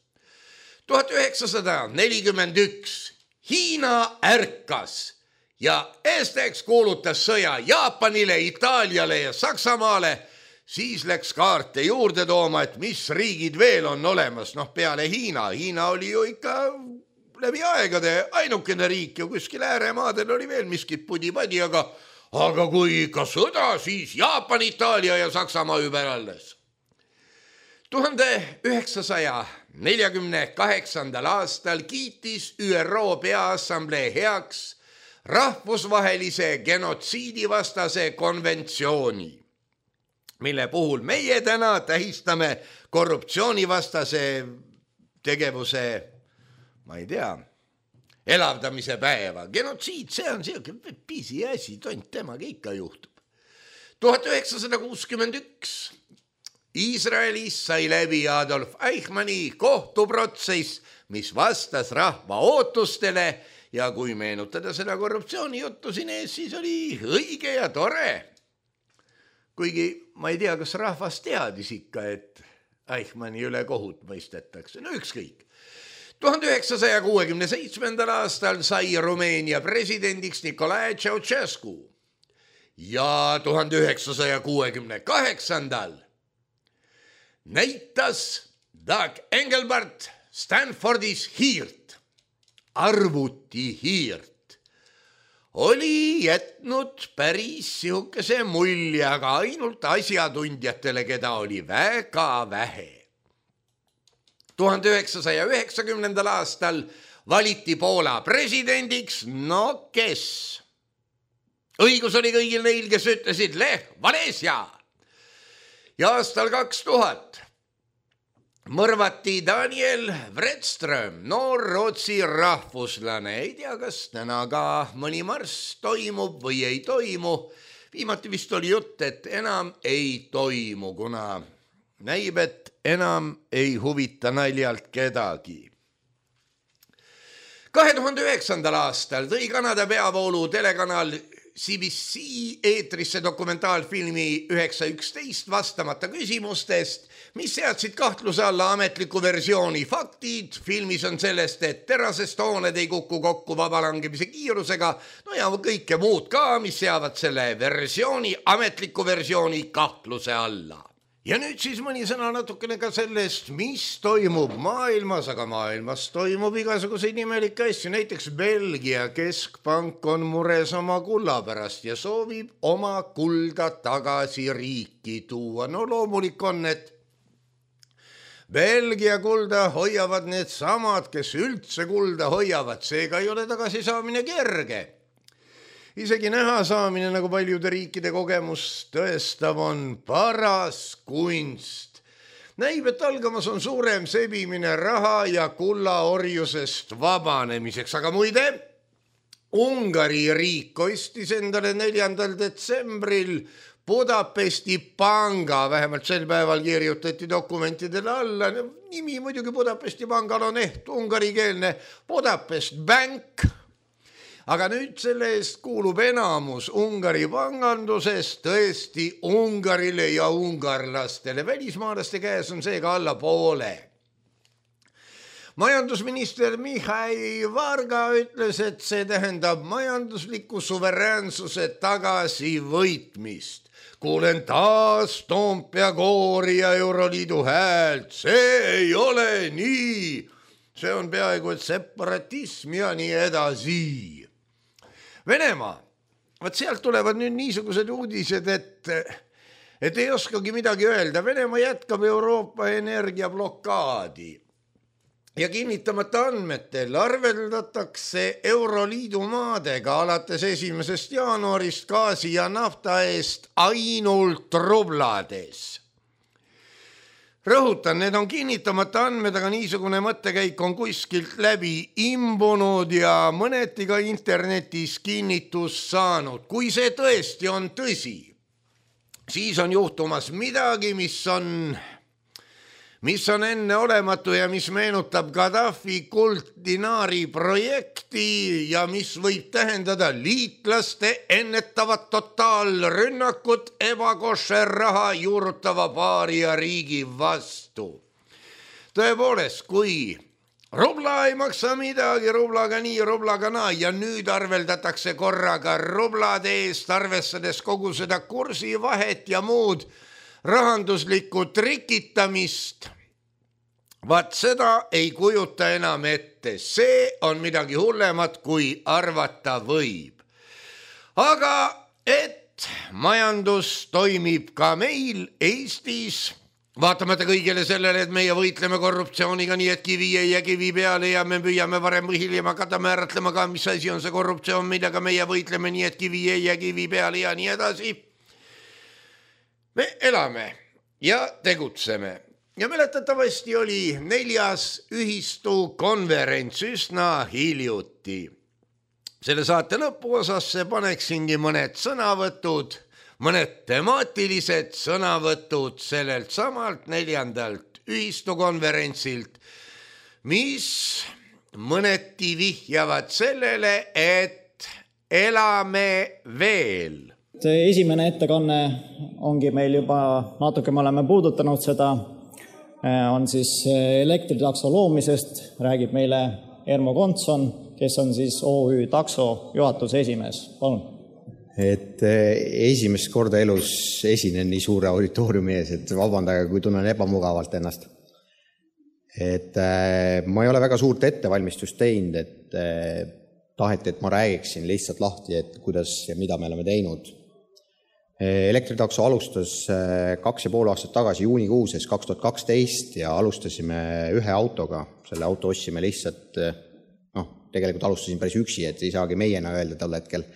1941 Hiina ärkas ja eesteks kuulutas sõja Jaapanile, Itaaliale ja Saksamaale. Siis läks kaarte juurde tooma, et mis riigid veel on olemas, peale Hiina. Hiina oli ju ikka läbi aegade ainukene riik ja kuskil ääremaadel oli veel miskit pudi-padi, aga kui ikka sõda, siis Jaapan, Itaalia ja Saksamaa ümber alles. 1948. aastal kiitis ÜRO Peaassamblee heaks rahvusvahelise genotsiidivastase konventsiooni. mille puhul meie täna tähistame korruptsioonivastase tegevuse, ma ei tea, elavdamise päeva. Genotsiid, see on selline pisiasi, tont temaga ikka juhtub. 1961 Iisraelis sai läbi Adolf Eichmanni kohtuprotsess, mis vastas rahva ootustele ja kui meenutada seda korruptsioonijuttu siin ees, siis oli õige ja tore. Kuigi ma ei tea, kas rahvas teadis ikka, et Eichmanni üle kohut mõistetakse. No ükskõik. 1967. aastal sai Rumeenia presidendiks Nicolae Ceausescu ja 1968. näitas Doug Engelbart Stanfordis hiirt, arvutihiirt. Oli jätnud päris sihukese mulje, aga ainult asjatundjatele, keda oli väga vähe. 1990. aastal valiti Poola presidendiks, no kes? Õigus oli kõigil neil, kes ütlesid Lech Wałęsa. Ja aastal 2000 mõrvati Daniel Wretström, noor Rootsi rahvuslane. Ei tea, kas täna ka mõni marss toimub või ei toimu. Viimati vist oli jutt, et enam ei toimu, kuna näib, et enam ei huvita naljalt kedagi. 2009. aastal tõi Kanada peavoolu telekanal CBC eetrisse dokumentaalfilmi 911 vastamata küsimustest, mis seadsid kahtluse alla ametliku versiooni faktid. Filmis on sellest, et terasest hooned ei kuku kokku vabalangemise kiirusega, no ja kõike muud ka, mis seavad selle versiooni, ametliku versiooni kahtluse alla. Ja nüüd siis mõni sõna natukene ka sellest, mis toimub maailmas, aga maailmas toimub igasuguseid imelikke asju. Näiteks Belgia keskpank on mures oma kulla pärast ja soovib oma kulda tagasi riiki tuua. No loomulik on, et Belgia kulda hoiavad need samad, kes üldse kulda hoiavad, seega ei ole tagasi saamine kerge. Isegi näha saamine, nagu paljude riikide kogemus tõestab, on paras kunst. Näib, et algamas on suurem sebimine raha ja kullaorjusest vabanemiseks, aga muide, Ungari riik ostis endale 4. detsembril Budapesti panga, vähemalt sel päeval kirjutati dokumentidele alla. Nimi muidugi Budapesti pangal on ungarikeelne Budapest Bank. Aga nüüd selle eest kuulub enamus Ungari pangandusest tõesti Ungarile ja ungarlastele. Välismaalaste käes on seega alla poole. Majandusminister Mihhail Varga ütles, et see tähendab majandusliku suveräänsuse tagasivõitmist. Kuulen taas Toompea koori ja Euroliidu häält. See ei ole nii. See on peaaegu et separatism ja nii edasi. Venemaa, vaat sealt tulevad nüüd niisugused uudised, et ei oskagi midagi öelda. Venemaa jätkab Euroopa energiablokaadi ja kinnitamata andmetel arveldatakse Euroliidu maadega alates 1. jaanuarist gaasi ja nafta eest ainult rublades. Rõhutan, need on kinnitamata andmed, aga niisugune mõttekäik on kuskilt läbi imbunud ja mõneti ka internetis kinnitust saanud. Kui see tõesti on tõsi, siis on juhtumas midagi, mis on enneolematu ja mis meenutab Gaddafi kultdinaari projekti ja mis võib tähendada liitlaste ennetavat totaalrünnakut ebakošer raha juurutava paaria riigi vastu. Tõepoolest, kui rubla ei maksa midagi, rublaga nii, rublaga naa ja nüüd arveldatakse korraga rublade eest, arvestades kogu seda kursivahet ja muud rahanduslikku trikitamist, vaat seda ei kujuta enam ette. See on midagi hullemat, kui arvata võib. Aga et majandus toimib ka meil Eestis, vaatamata kõigele sellele, et meie võitleme korruptsiooniga nii, et kivi ei jää kivi peale ja me püüame varem või hiljem hakata määratlema ka, mis asi on see korruptsioon, millega meie võitleme nii, et kivi ei jää kivi peale ja nii edasi. Me elame ja tegutseme ja mäletatavasti oli 4. ühistu konverents üsna hiljuti. Selle saate lõpuosasse paneksingi mõned sõnavõtud, mõned temaatilised sõnavõtud sellelt samalt 4. ühistu konverentsilt, mis mõneti vihjavad sellele, et elame veel. Esimene ettekanne ongi meil juba natuke, me oleme puudutanud seda, on siis elektritakso loomisest, räägib meile Ermo Kontson, kes on siis OÜ Takso juhatuse esimees. Palun. Et esimest korda elus esinen nii suure auditooriumi ees, et vabandage, kui tunnen ebamugavalt ennast. Et ma ei ole väga suurt ettevalmistust teinud, et taheti, et ma räägiksin lihtsalt lahti, et kuidas ja mida me oleme teinud. Elektritakso alustas 2,5 aastat tagasi juunikuuses 2012 ja alustasime ühe autoga. Selle auto ostsime lihtsalt, tegelikult alustasin päris üksi, et ei saagi meiena öelda tol hetkel.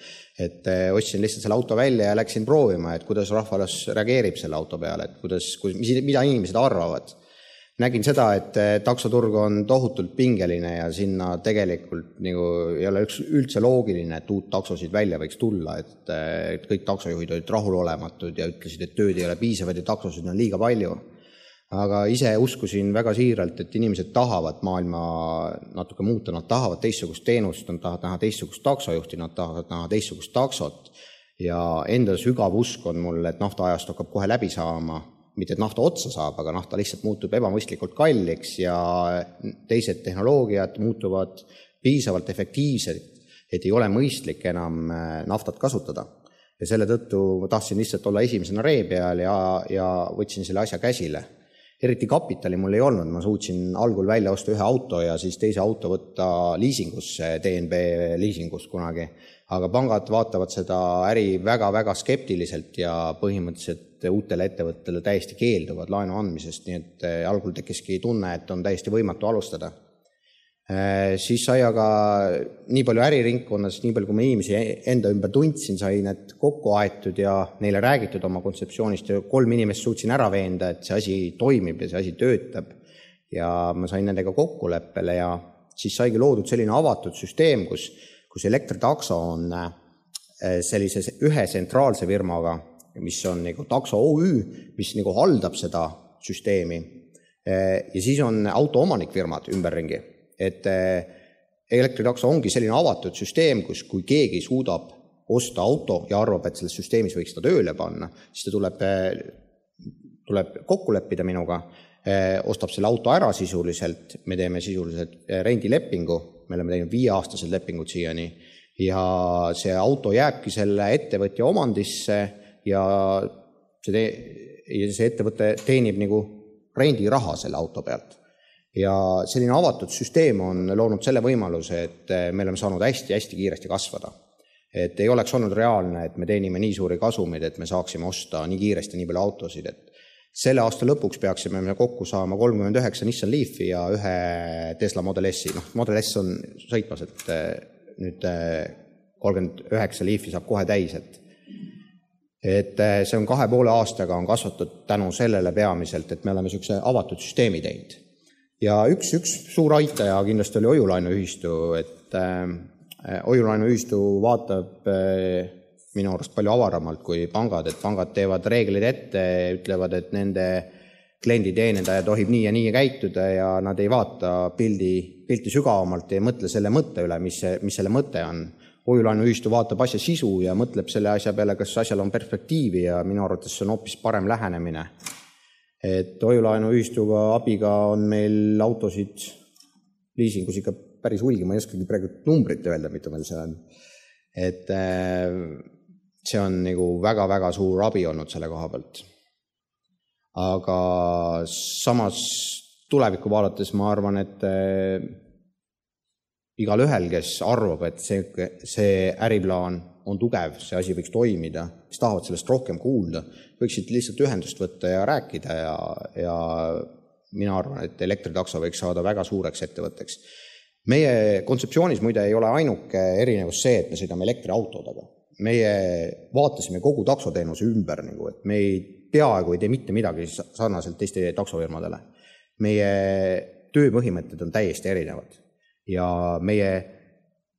Et ostsin lihtsalt selle auto välja ja läksin proovima, et kuidas rahvas reageerib selle auto peale, et mida inimesed arvavad. Nägin seda, et taksoturg on tohutult pingeline ja sinna tegelikult ei ole üldse loogiline, et uut taksosid välja võiks tulla, et kõik taksojuhid olid rahulolematud ja ütlesid, et tööd ei ole piisavad ja taksosid on liiga palju. Aga ise uskusin väga siiralt, et inimesed tahavad maailma natuke muuta, nad tahavad teistsugust teenust, nad tahavad näha teistsugust taksojuhti, nad tahavad näha teistsugust taksot ja enda sügav usk on mul, et naftaajast hakkab kohe läbi saama, mitte et nafta otsa saab, aga nafta lihtsalt muutub ebamõistlikult kalliks ja teised tehnoloogiad muutuvad piisavalt efektiivsed, et ei ole mõistlik enam naftat kasutada. Ja selle tõttu tahtsin lihtsalt olla esimesena ree peal ja võtsin selle asja käsile. Eriti kapitali mul ei olnud, ma suutsin algul välja osta ühe auto ja siis teise auto võtta liisingusse, DNB liisingus kunagi. Aga pangad vaatavad seda äri väga-väga skeptiliselt ja põhimõtteliselt uutele ettevõttele täiesti keelduvad laenu andmisest, nii et algul tekkiski tunne, et on täiesti võimatu alustada. Siis sai aga nii palju äriringkonnas, nii palju kui ma inimesi enda ümber tundsin, sai need kokku aetud ja neile räägitud oma kontseptsioonist ja 3 inimest suutsin ära veenda, et see asi toimib ja see asi töötab ja ma sain nendega kokkuleppele ja siis saigi loodud selline avatud süsteem, kus elektritakso on sellise ühe tsentraalse firmaga, mis on nagu takso OÜ, mis nagu haldab seda süsteemi ja siis on autoomanikfirmad ümberringi. Et elektritakso ongi selline avatud süsteem, kus kui keegi suudab osta auto ja arvab, et selles süsteemis võiks ta tööle panna, siis ta tuleb kokku leppida minuga, ostab selle auto ära sisuliselt, me teeme sisuliselt rendilepingu, me oleme teinud 5-aastased lepingud siiani ja see auto jääbki selle ettevõtja omandisse ja see ettevõte teenib nagu rendiraha selle auto pealt. Ja selline avatud süsteem on loonud selle võimaluse, et me oleme saanud hästi-hästi kiiresti kasvada. Et ei oleks olnud reaalne, et me teenime nii suuri kasumid, et me saaksime osta nii kiiresti nii palju autosid. Et selle aasta lõpuks peaksime me kokku saama 39 Nissan Leafi ja ühe Tesla Model S. Model S on sõitmas, et nüüd 39 Leafi saab kohe täis. Et see on 2,5 aastaga on kasvatud tänu sellele peamiselt, et me oleme sellise avatud süsteemi teinud. Ja üks suur aitaja kindlasti oli Hoiulaenuühistu, et Hoiulaenuühistu vaatab minu arust palju avaramalt kui pangad, et pangad teevad reeglid ette, ütlevad, et nende klienditeenindaja tohib nii ja nii käituda ja nad ei vaata pilti sügavamalt ja ei mõtle selle mõtte üle, mis selle mõte on. Hoiulaenuühistu vaatab asja sisu ja mõtleb selle asja peale, kas asjal on perspektiivi ja minu arvates see on hoopis parem lähenemine. Et hoiulaenuühistuga abiga on meil autosid liisingus ikka päris hulgi, ma ei oskagi praegu numbrit öelda, mida meil see on. Et see on nagu väga-väga suur abi olnud selle koha pealt. Aga samas tulevikku vaadates ma arvan, et igal ühel, kes arvab, et see äriplaan on tugev, see asi võiks toimida, kes tahavad sellest rohkem kuulda, võiksid lihtsalt ühendust võtta ja rääkida ja mina arvan, et elektritakso võiks saada väga suureks ettevõtteks. Meie kontseptsioonis muide ei ole ainuke erinevus see, et me sõidame elektriautodega. Meie vaatasime kogu taksoteenuse ümber, et me ei peaaegu ei tee mitte midagi sarnaselt teiste taksofirmadele. Meie tööpõhimõtted on täiesti erinevad ja meie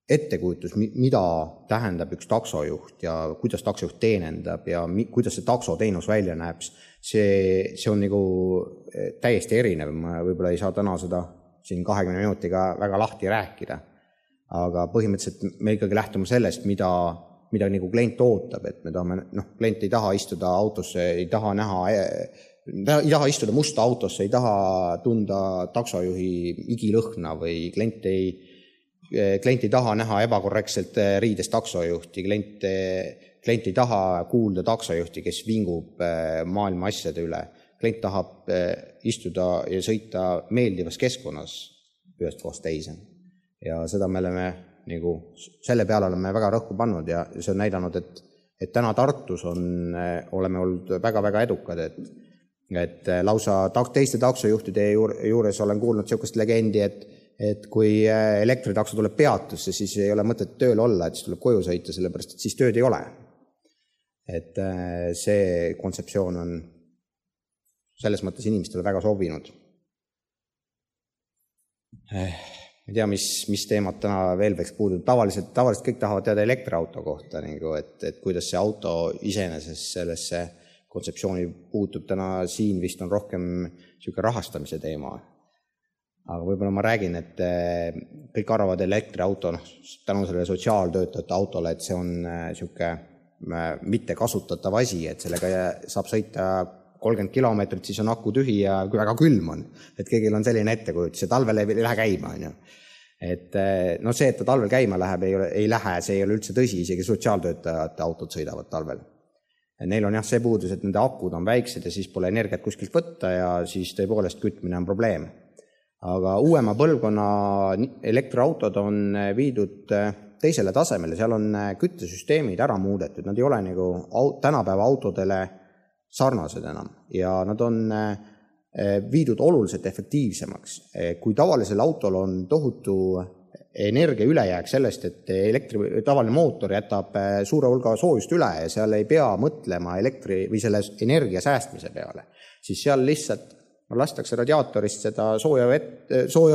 ettekujutus, mida tähendab üks taksojuht ja kuidas taksojuht teenendab ja kuidas see taksoteenus välja näeb, see on nagu täiesti erinev. Ma võib-olla ei saa täna seda siin 20 minutiga väga lahti rääkida, aga põhimõtteliselt me ikkagi lähtume sellest, mida nagu klient ootab, et me tahame, klient ei taha istuda autosse, ei taha istuda musta autosse, ei taha tunda taksojuhi igilõhna või klient ei taha näha ebakorrektselt riides taksojuhti, klient ei taha kuulda taksojuhti, kes vingub maailma asjade üle. Klient tahab istuda ja sõita meeldivas keskkonnas ühest kohast teise. Ja seda me oleme selle peale oleme väga rõhku pannud ja see on näidanud, et täna Tartus oleme olnud väga-väga edukad, et lausa teiste taksojuhtide juures olen kuulnud sellist legendi, et kui elektritakso tuleb peatusse, siis ei ole mõtet tööl olla, et siis tuleb koju sõita, sellepärast, et siis tööd ei ole. Et see kontseptsioon on selles mõttes inimestele väga sobinud. Ma ei tea, mis teemad täna veel võiks puududa. Tavaliselt kõik tahavad teada elektriauto kohta, et kuidas see auto iseenesest sellesse kontseptsiooni puutub. Täna siin vist on rohkem rahastamise teema. Aga võib-olla ma räägin, et kõik arvavad elektriauto, tänu sellele sotsiaaltöötajate autole, et see on mitte kasutatav asi, et sellega saab sõita 30 kilomeetrit, siis on aku tühi ja väga külm on. Et kõigil on selline ettekujutus, see talvel ei lähe käima. Et see, et ta talvel käima läheb, ei lähe, see ei ole üldse tõsi, isegi sotsiaaltöötajate autod sõidavad talvel. Neil on see puudus, et nende akud on väiksed ja siis pole energiat kuskilt võtta ja siis tõepoolest kütmine on probleem. Aga uuema põlvkonna elektriautod on viidud teisele tasemele, seal on küttesüsteemid ära muudetud, nad ei ole nagu tänapäeva autodele sarnased enam ja nad on viidud oluliselt efektiivsemaks. Kui tavalisel autol on tohutu energia ülejääk sellest, et tavaline mootor jätab suure hulga soojust üle ja seal ei pea mõtlema või selle energia säästmise peale, siis seal lihtsalt lastakse radiaatorist seda sooja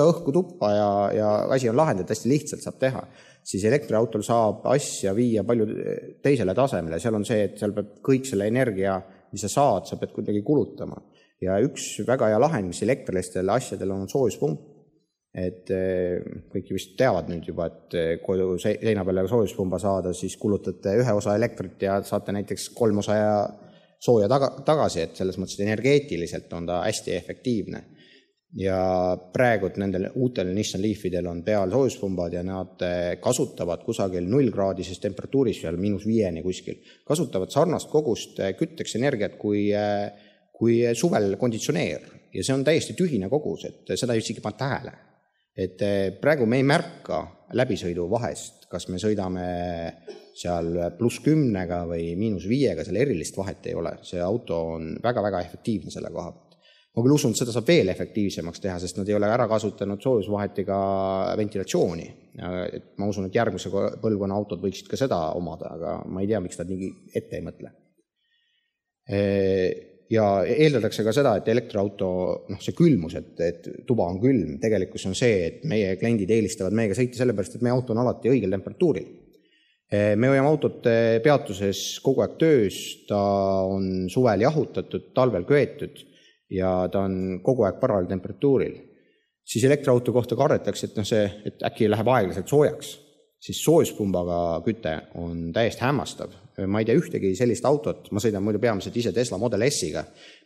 õhku tuppa ja asi on lahendanud, hästi lihtsalt saab teha. Siis elektriautol saab asja viia palju teisele tasemele. Seal on see, et seal peab kõik selle energia, mis sa saad, sa pead kuidagi kulutama. Ja üks väga hea lahend, mis elektrilistele asjadel on soojuspump. Et kõik vist teavad nüüd juba, et kodu seina peale soojuspumba saada, siis kulutate ühe osa elektrit ja saate näiteks 3 osa sooja tagasi, et selles mõttes energeetiliselt on ta hästi efektiivne. Ja praegu nendel uutel Nissan Leafidel on peal soojuspumbad ja nad kasutavad kusagil 0-kraadises temperatuuris seal -5 kuskil. Kasutavad sarnast kogust kütteks energiat kui suvel konditsioneer ja see on täiesti tühine kogus, et seda isegi pannud tähele. Et praegu me ei märka läbisõidu vahest, kas me sõidame seal +10 või -5, seal erilist vahet ei ole. See auto on väga-väga efektiivne selle koha pealt. Ma küll usun, et seda saab veel efektiivsemaks teha, sest nad ei ole ära kasutanud soojusvahetiga ventilatsiooni. Ma usun, et järgmise põlvkonna autod võiksid ka seda omada, aga ma ei tea, miks nad nii ette ei mõtle. Ja eeldatakse ka seda, et elektriauto, see külmus, et tuba on külm, tegelikult on see, et meie kliendid eelistavad meiega sõita sellepärast, et meie auto on alati õigel temperatuuril. Me hoiame autot peatuses kogu aeg töös, ta on suvel jahutatud, talvel köetud ja ta on kogu aeg parajal temperatuuril. Siis elektriauto kohta kardetakse, et äkki läheb aeglaselt soojaks. Siis soojuspumbaga küte on täiesti hämmastav. Ma ei tea ühtegi sellist autot, ma sõidan muidu peamiselt ise Tesla Model S-iga,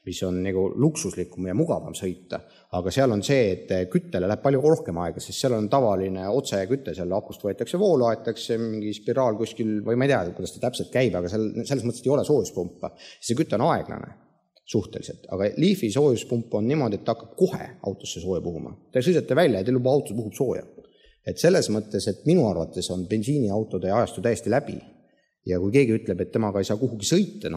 mis on nagu luksuslikum ja mugavam sõita, aga seal on see, et küttele läheb palju rohkem aega, sest seal on tavaline otseküte, seal akust võetakse voolu, aetakse mingi spiraal kuskil, või ma ei tea, kuidas ta täpselt käib, aga selles mõttes ei ole soojuspumpa. See küte on aeglane suhteliselt, aga Leafi soojuspump on niimoodi, et ta hakkab kohe autosse sooja puhuma. Te sõidate välja ja teil juba autos puhub sooja. Et selles mõttes, et minu arvates on bensiiniautode ajastu täiesti läbi. Ja kui keegi ütleb, et temaga ei saa kuhugi sõita,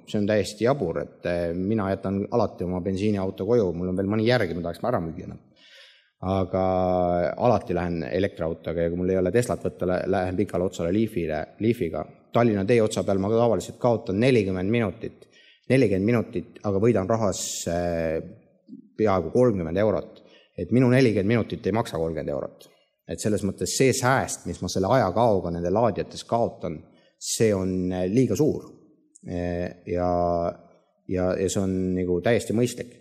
see on täiesti jabur, et mina jätan alati oma bensiiniauto koju, mul on veel mõni järgi, ma tahaks ära müüa. Aga alati lähen elektriautoga ja kui mul ei ole Teslat võtta, lähen pikale otsale Leafiga. Tallinna tee otsa peal ma tavaliselt kaotan 40 minutit 40 minutit, aga võidan rahas peaaegu 30 eurot. Et minu 40 minutit ei maksa 30 eurot. Et selles mõttes see sääst, mis ma selle ajakaoga nende laadiates kaotan, see on liiga suur. Ja see on nagu täiesti mõistlik.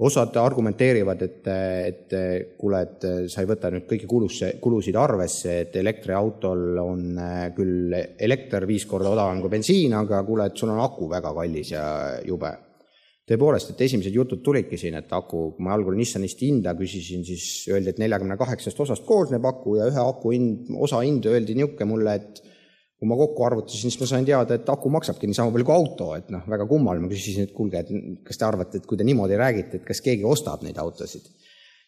Osad argumenteerivad, et kuule, et sa ei võta nüüd kõiki kulusid arvesse, et elektriautol on küll elekter 5 korda odavam kui bensiin, aga kuule, et sul on aku väga kallis ja jube. Tõepoolest, et esimesed jutud tulidki siin, et aku, kui ma algul Nissanist hinda küsisin, siis öeldi, et 48 osast koosneb aku ja ühe aku osa hind öeldi niuke mulle, et kui ma kokku arvutasin, siis ma sain teada, et aku maksabki nii sama palju kui auto, et väga kummal. Ma küsisin, et kuulge, et kas te arvate, et kui te niimoodi räägite, et kas keegi ostab neid autosid,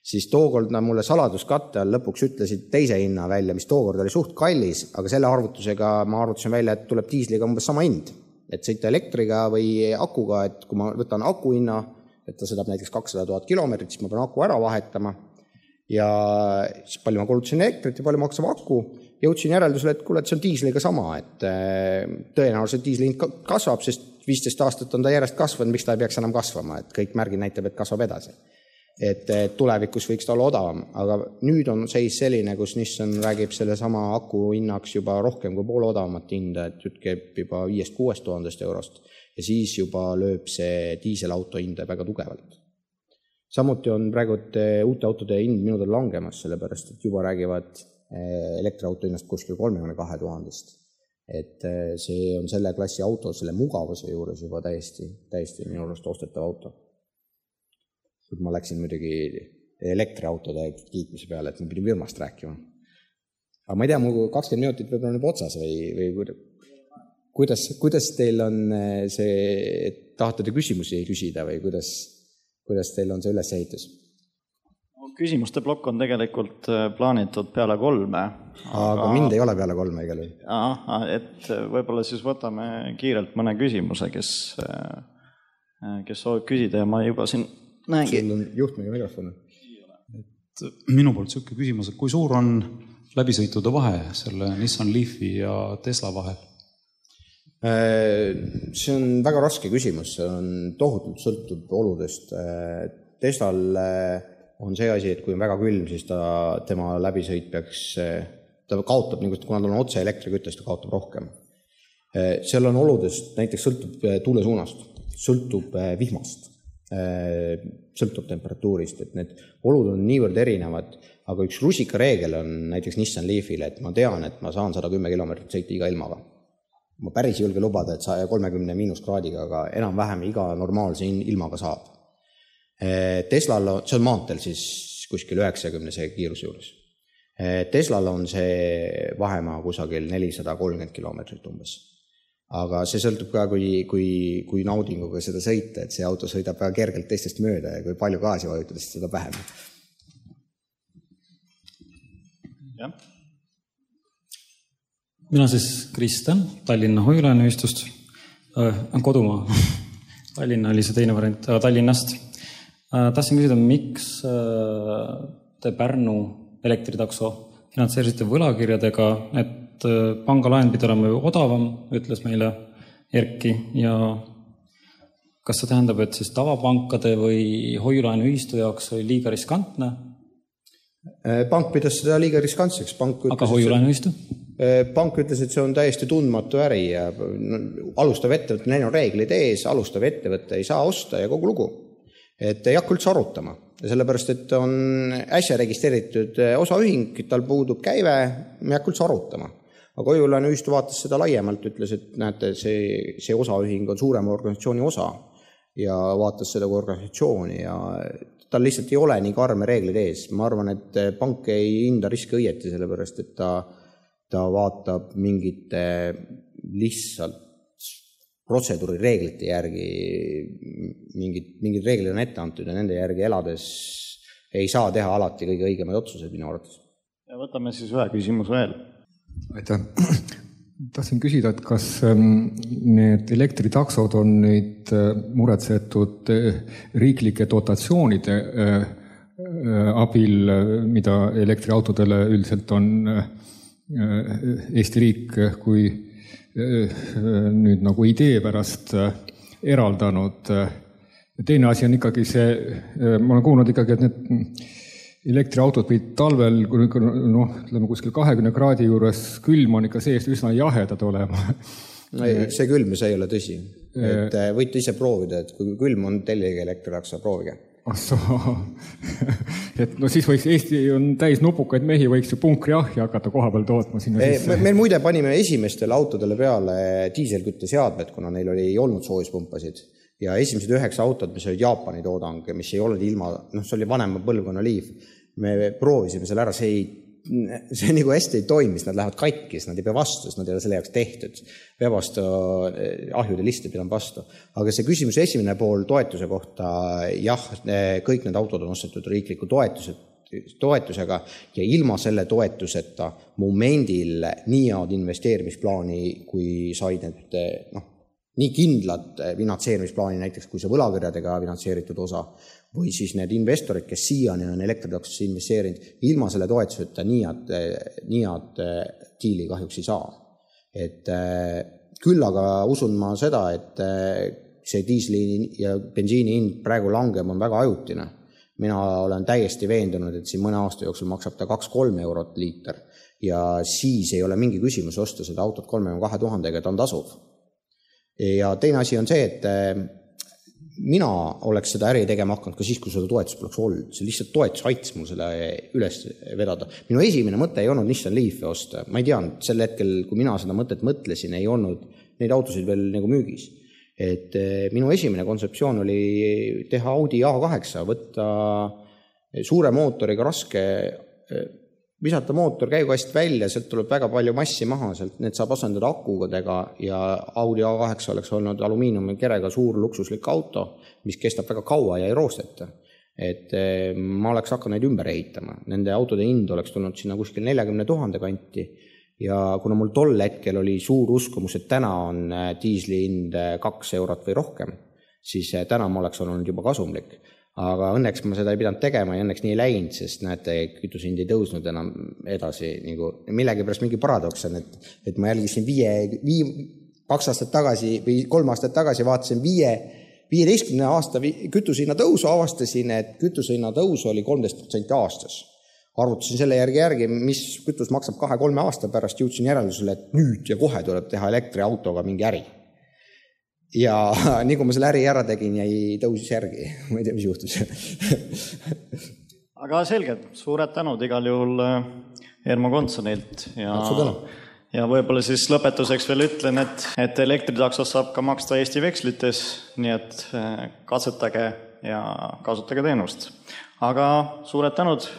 siis tookord mulle saladuskatte all lõpuks ütlesid teise hinna välja, mis tookord oli suht kallis, aga selle arvutusega ma arvutasin välja, et tuleb diisliga umbes sama hind, et sõita elektriga või akuga, et kui ma võtan aku hinna, et ta sõidab näiteks 200 000 kilomeetrit, siis ma pean aku ära vahetama ja siis palju ma kulutasin elektrit ja palju maksab aku. Jõudsin järeldusele, et kuule, et see on diisliga sama, et tõenäoliselt diisli hind kasvab, sest 15 aastat on ta järjest kasvanud, miks ta ei peaks enam kasvama, et kõik märgid näitab, et kasvab edasi. Et tulevikus võiks ta olla odavam, aga nüüd on seis selline, kus Nissan räägib selle sama aku hinnaks juba rohkem kui poole odavamat hinda, et jutt käib juba 5-6 000 eurost ja siis juba lööb see diiselauto hinda väga tugevalt. Samuti on praegu uute autode hind minudel langemas, sellepärast et juba räägivad elektriauto hinnast kuskil 32 000. Et see on selle klassi auto, selle mugavuse juures juba täiesti minu arust ostetav auto. Ma läksin muidugi elektriautode kiitmise peale, et ma pidin firmast rääkima. Aga ma ei tea, mul 20 minutit võib-olla nüüd otsas või kuidas teil on see, et tahate te küsimusi küsida või kuidas teil on see ülesehitus? Küsimuste plokk on tegelikult plaanitud peale 3. Aga mind ei ole peale 3 igal juhul. Et võib-olla siis võtame kiirelt mõne küsimuse, kes soovib küsida ja ma juba siin näengi. Sul on juhtmega mikrofon. Minu poolt selline küsimus, et kui suur on läbisõitude vahe selle Nissan Leafi ja Tesla vahel? See on väga raske küsimus, see on tohutult sõltub oludest. Teslal on see asi, et kui on väga külm, siis tema läbisõit ta kaotab, kuna ta on otse elektriküttest, ta kaotab rohkem. Seal on oludest, näiteks sõltub tuule suunast, sõltub vihmast, sõltub temperatuurist, et need olud on niivõrd erinevad, aga üks rusikareegel on näiteks Nissan Leafile, et ma tean, et ma saan 110 kilomeetrit sõita iga ilmaga. Ma päris julge lubada, et 30 miinuskraadiga, aga enam-vähem iga normaalse ilmaga saab. Teslal on, see on maanteel siis kuskil 90 kiiruse juures. Teslal on see vahemaa kusagil 430 kilomeetrit umbes. Aga see sõltub ka, kui naudinguga seda sõita, et see auto sõidab väga kergelt teistest mööda ja kui palju gaasi vajutada, siis seda vähem. Jah. Mina siis Kristjan, Tallinna Hoiulaenuühistust, kodumaa. Tallinna oli see teine variant, Tallinnast. Tahtsin küsida, miks te Pärnu elektritakso finantseerisite võlakirjadega, et pangalaen pidi olema ju odavam, ütles meile Erki, ja kas see tähendab, et siis tavapankade või hoiulaenuühistu jaoks oli liiga riskantne? Pank pidas seda liiga riskantseks. Aga hoiulaenuühistu? Pank ütles, et see on täiesti tundmatu äri ja alustav ettevõte, neil on reeglid ees, alustav ettevõte ei saa osta ja kogu lugu. Et ei hakka üldse arutama, sellepärast, et on äsja registreeritud osaühing, tal puudub käive, me ei hakka üldse arutama. Aga hoiulaenuühistu vaatas seda laiemalt, ütles, et näete, see osaühing on suurema organisatsiooni osa ja vaatas seda kui organisatsiooni ja tal lihtsalt ei ole nii karme reeglid ees. Ma arvan, et pank ei hinda riske õieti, sellepärast, et ta vaatab mingite lihtsalt protseduuri reeglite järgi, mingid reeglid on ette antud ja nende järgi elades ei saa teha alati kõige õigemaid otsuseid minu arvates. Ja võtame siis ühe küsimus veel. Aitäh. Tahtsin küsida, et kas need elektritaksod on nüüd muretsetud riiklike dotatsioonide abil, mida elektriautodele üldiselt on Eesti riik kui nüüd nagu idee pärast eraldanud. Teine asi on ikkagi see, ma olen kuulnud ikkagi, et need elektriautod võid talvel, ütleme kuskil 20 kraadi juures külm on ikka seest üsna jahedad olema. See külm, see ei ole tõsi. Et võite ise proovida, et kui külm on, tellige elektritakso, proovige. Et siis võiks, Eesti on täis nupukaid mehi, võiks ju punkriahja hakata koha peal tootma sinna sisse. Meil muide panime esimestele autodele peale diiselkütte seadmed, kuna neil ei olnud soojuspumpasid. Ja esimesed 9 autod, mis olid Jaapani toodang, mis ei olnud ilma, see oli vanema põlvkonna Leaf, me proovisime selle ära, see nagu hästi ei toimis, nad lähevad katkis, nad ei pea vastu, sest nad ei ole selle jaoks tehtud. Pea vastu, ahjude liste pidanud vastu. Aga see küsimus esimene pool toetuse kohta, jah, kõik need autod on ostetud riikliku toetusega ja ilma selle toetuseta momendil nii head investeerimisplaani, kui said need, nii kindlad finantseerimisplaani näiteks, kui see võlakirjadega finantseeritud osa, või siis need investorid, kes siiani on elektritaksosse investeerinud, ilma selle toetuseta nii head diili kahjuks ei saa. Et küll aga usun ma seda, et see diisli ja bensiini hind praegu langem on väga ajutine. Mina olen täiesti veendunud, et siin mõne aasta jooksul maksab ta 2-3 eurot liiter ja siis ei ole mingi küsimus osta seda autot 32 000, ta on tasuv. Ja teine asi on see, et mina oleks seda äri tegema hakanud ka siis, kui seda toetus poleks olnud. See lihtsalt toetus aitas mul selle üles vedada. Minu esimene mõte ei olnud Nissan Leafi osta. Ma ei teadnud, sel hetkel, kui mina seda mõtet mõtlesin, ei olnud neid autosid veel nagu müügis. Et minu esimene kontseptsioon oli teha Audi A8, võtta suure mootoriga raske, visata mootor käigukast välja, sealt tuleb väga palju massi maha, sealt need saab asendada akudega ja Audi A8 oleks olnud alumiiniumi kerega suur luksuslik auto, mis kestab väga kaua ja ei roosteta. Et ma oleks hakanud neid ümber ehitama. Nende autode hind oleks tulnud sinna kuskil 40 000 kanti ja kuna mul tol hetkel oli suur uskumus, et täna on diisli hind 2 eurot või rohkem, siis täna ma oleks olnud juba kasumlik. Aga õnneks ma seda ei pidanud tegema ja õnneks nii ei läinud, sest näete, kütusehind ei tõusnud enam edasi. Millegi pärast mingi paradoks on, et ma jälgisin 2 aastat tagasi või 3 aastat tagasi vaatasin 15 aasta kütusehinna tõusu, avastasin, et kütusehinna tõus oli 13% aastas. Arvutasin selle järgi, mis kütus maksab 2-3 aasta pärast, jõudsin järeldusele, et nüüd ja kohe tuleb teha elektriautoga mingi äri. Ja nii kui ma selle äri ära tegin, jäi tõusis järgi. Ma ei tea, mis juhtus. Aga selge, suured tänud igal juhul Ermo Kontsonilt. Ja võib-olla siis lõpetuseks veel ütlen, et elektritaksos saab ka maksta Eesti vekslites, nii et katsetage ja kasutage teenust. Aga suured tänud!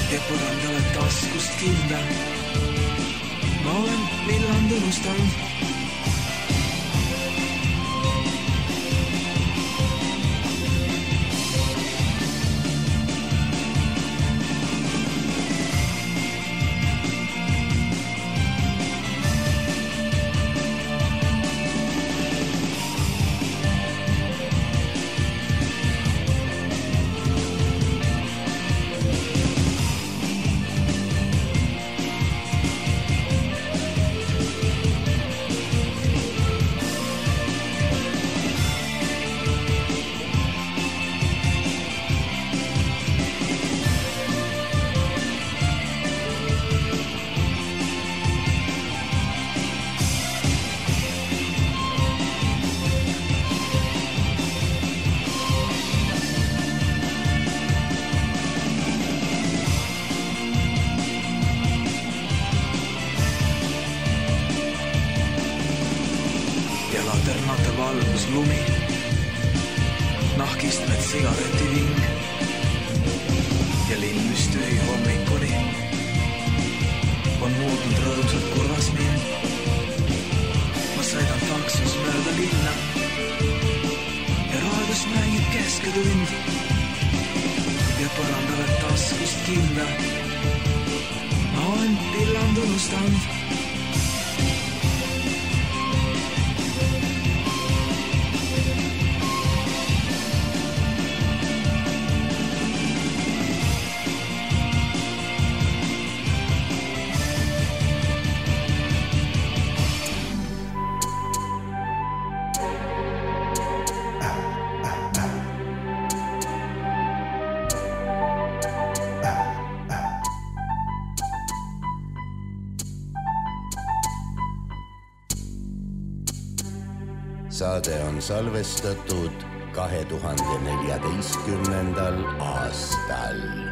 Ja põrandale taskust kinda. Ma olen villand unustanud. Lumi, nahkistmed sigaretiving ja linn, mis tühi hommikuni on muutnud rõõmsalt kurvas mind. Ma sõidan taksos mööda linna ja raadios mängib kesketund ja põrandavad taskust kinda. Ma olen villand unustanud. Saade on salvestatud 2014. aastal.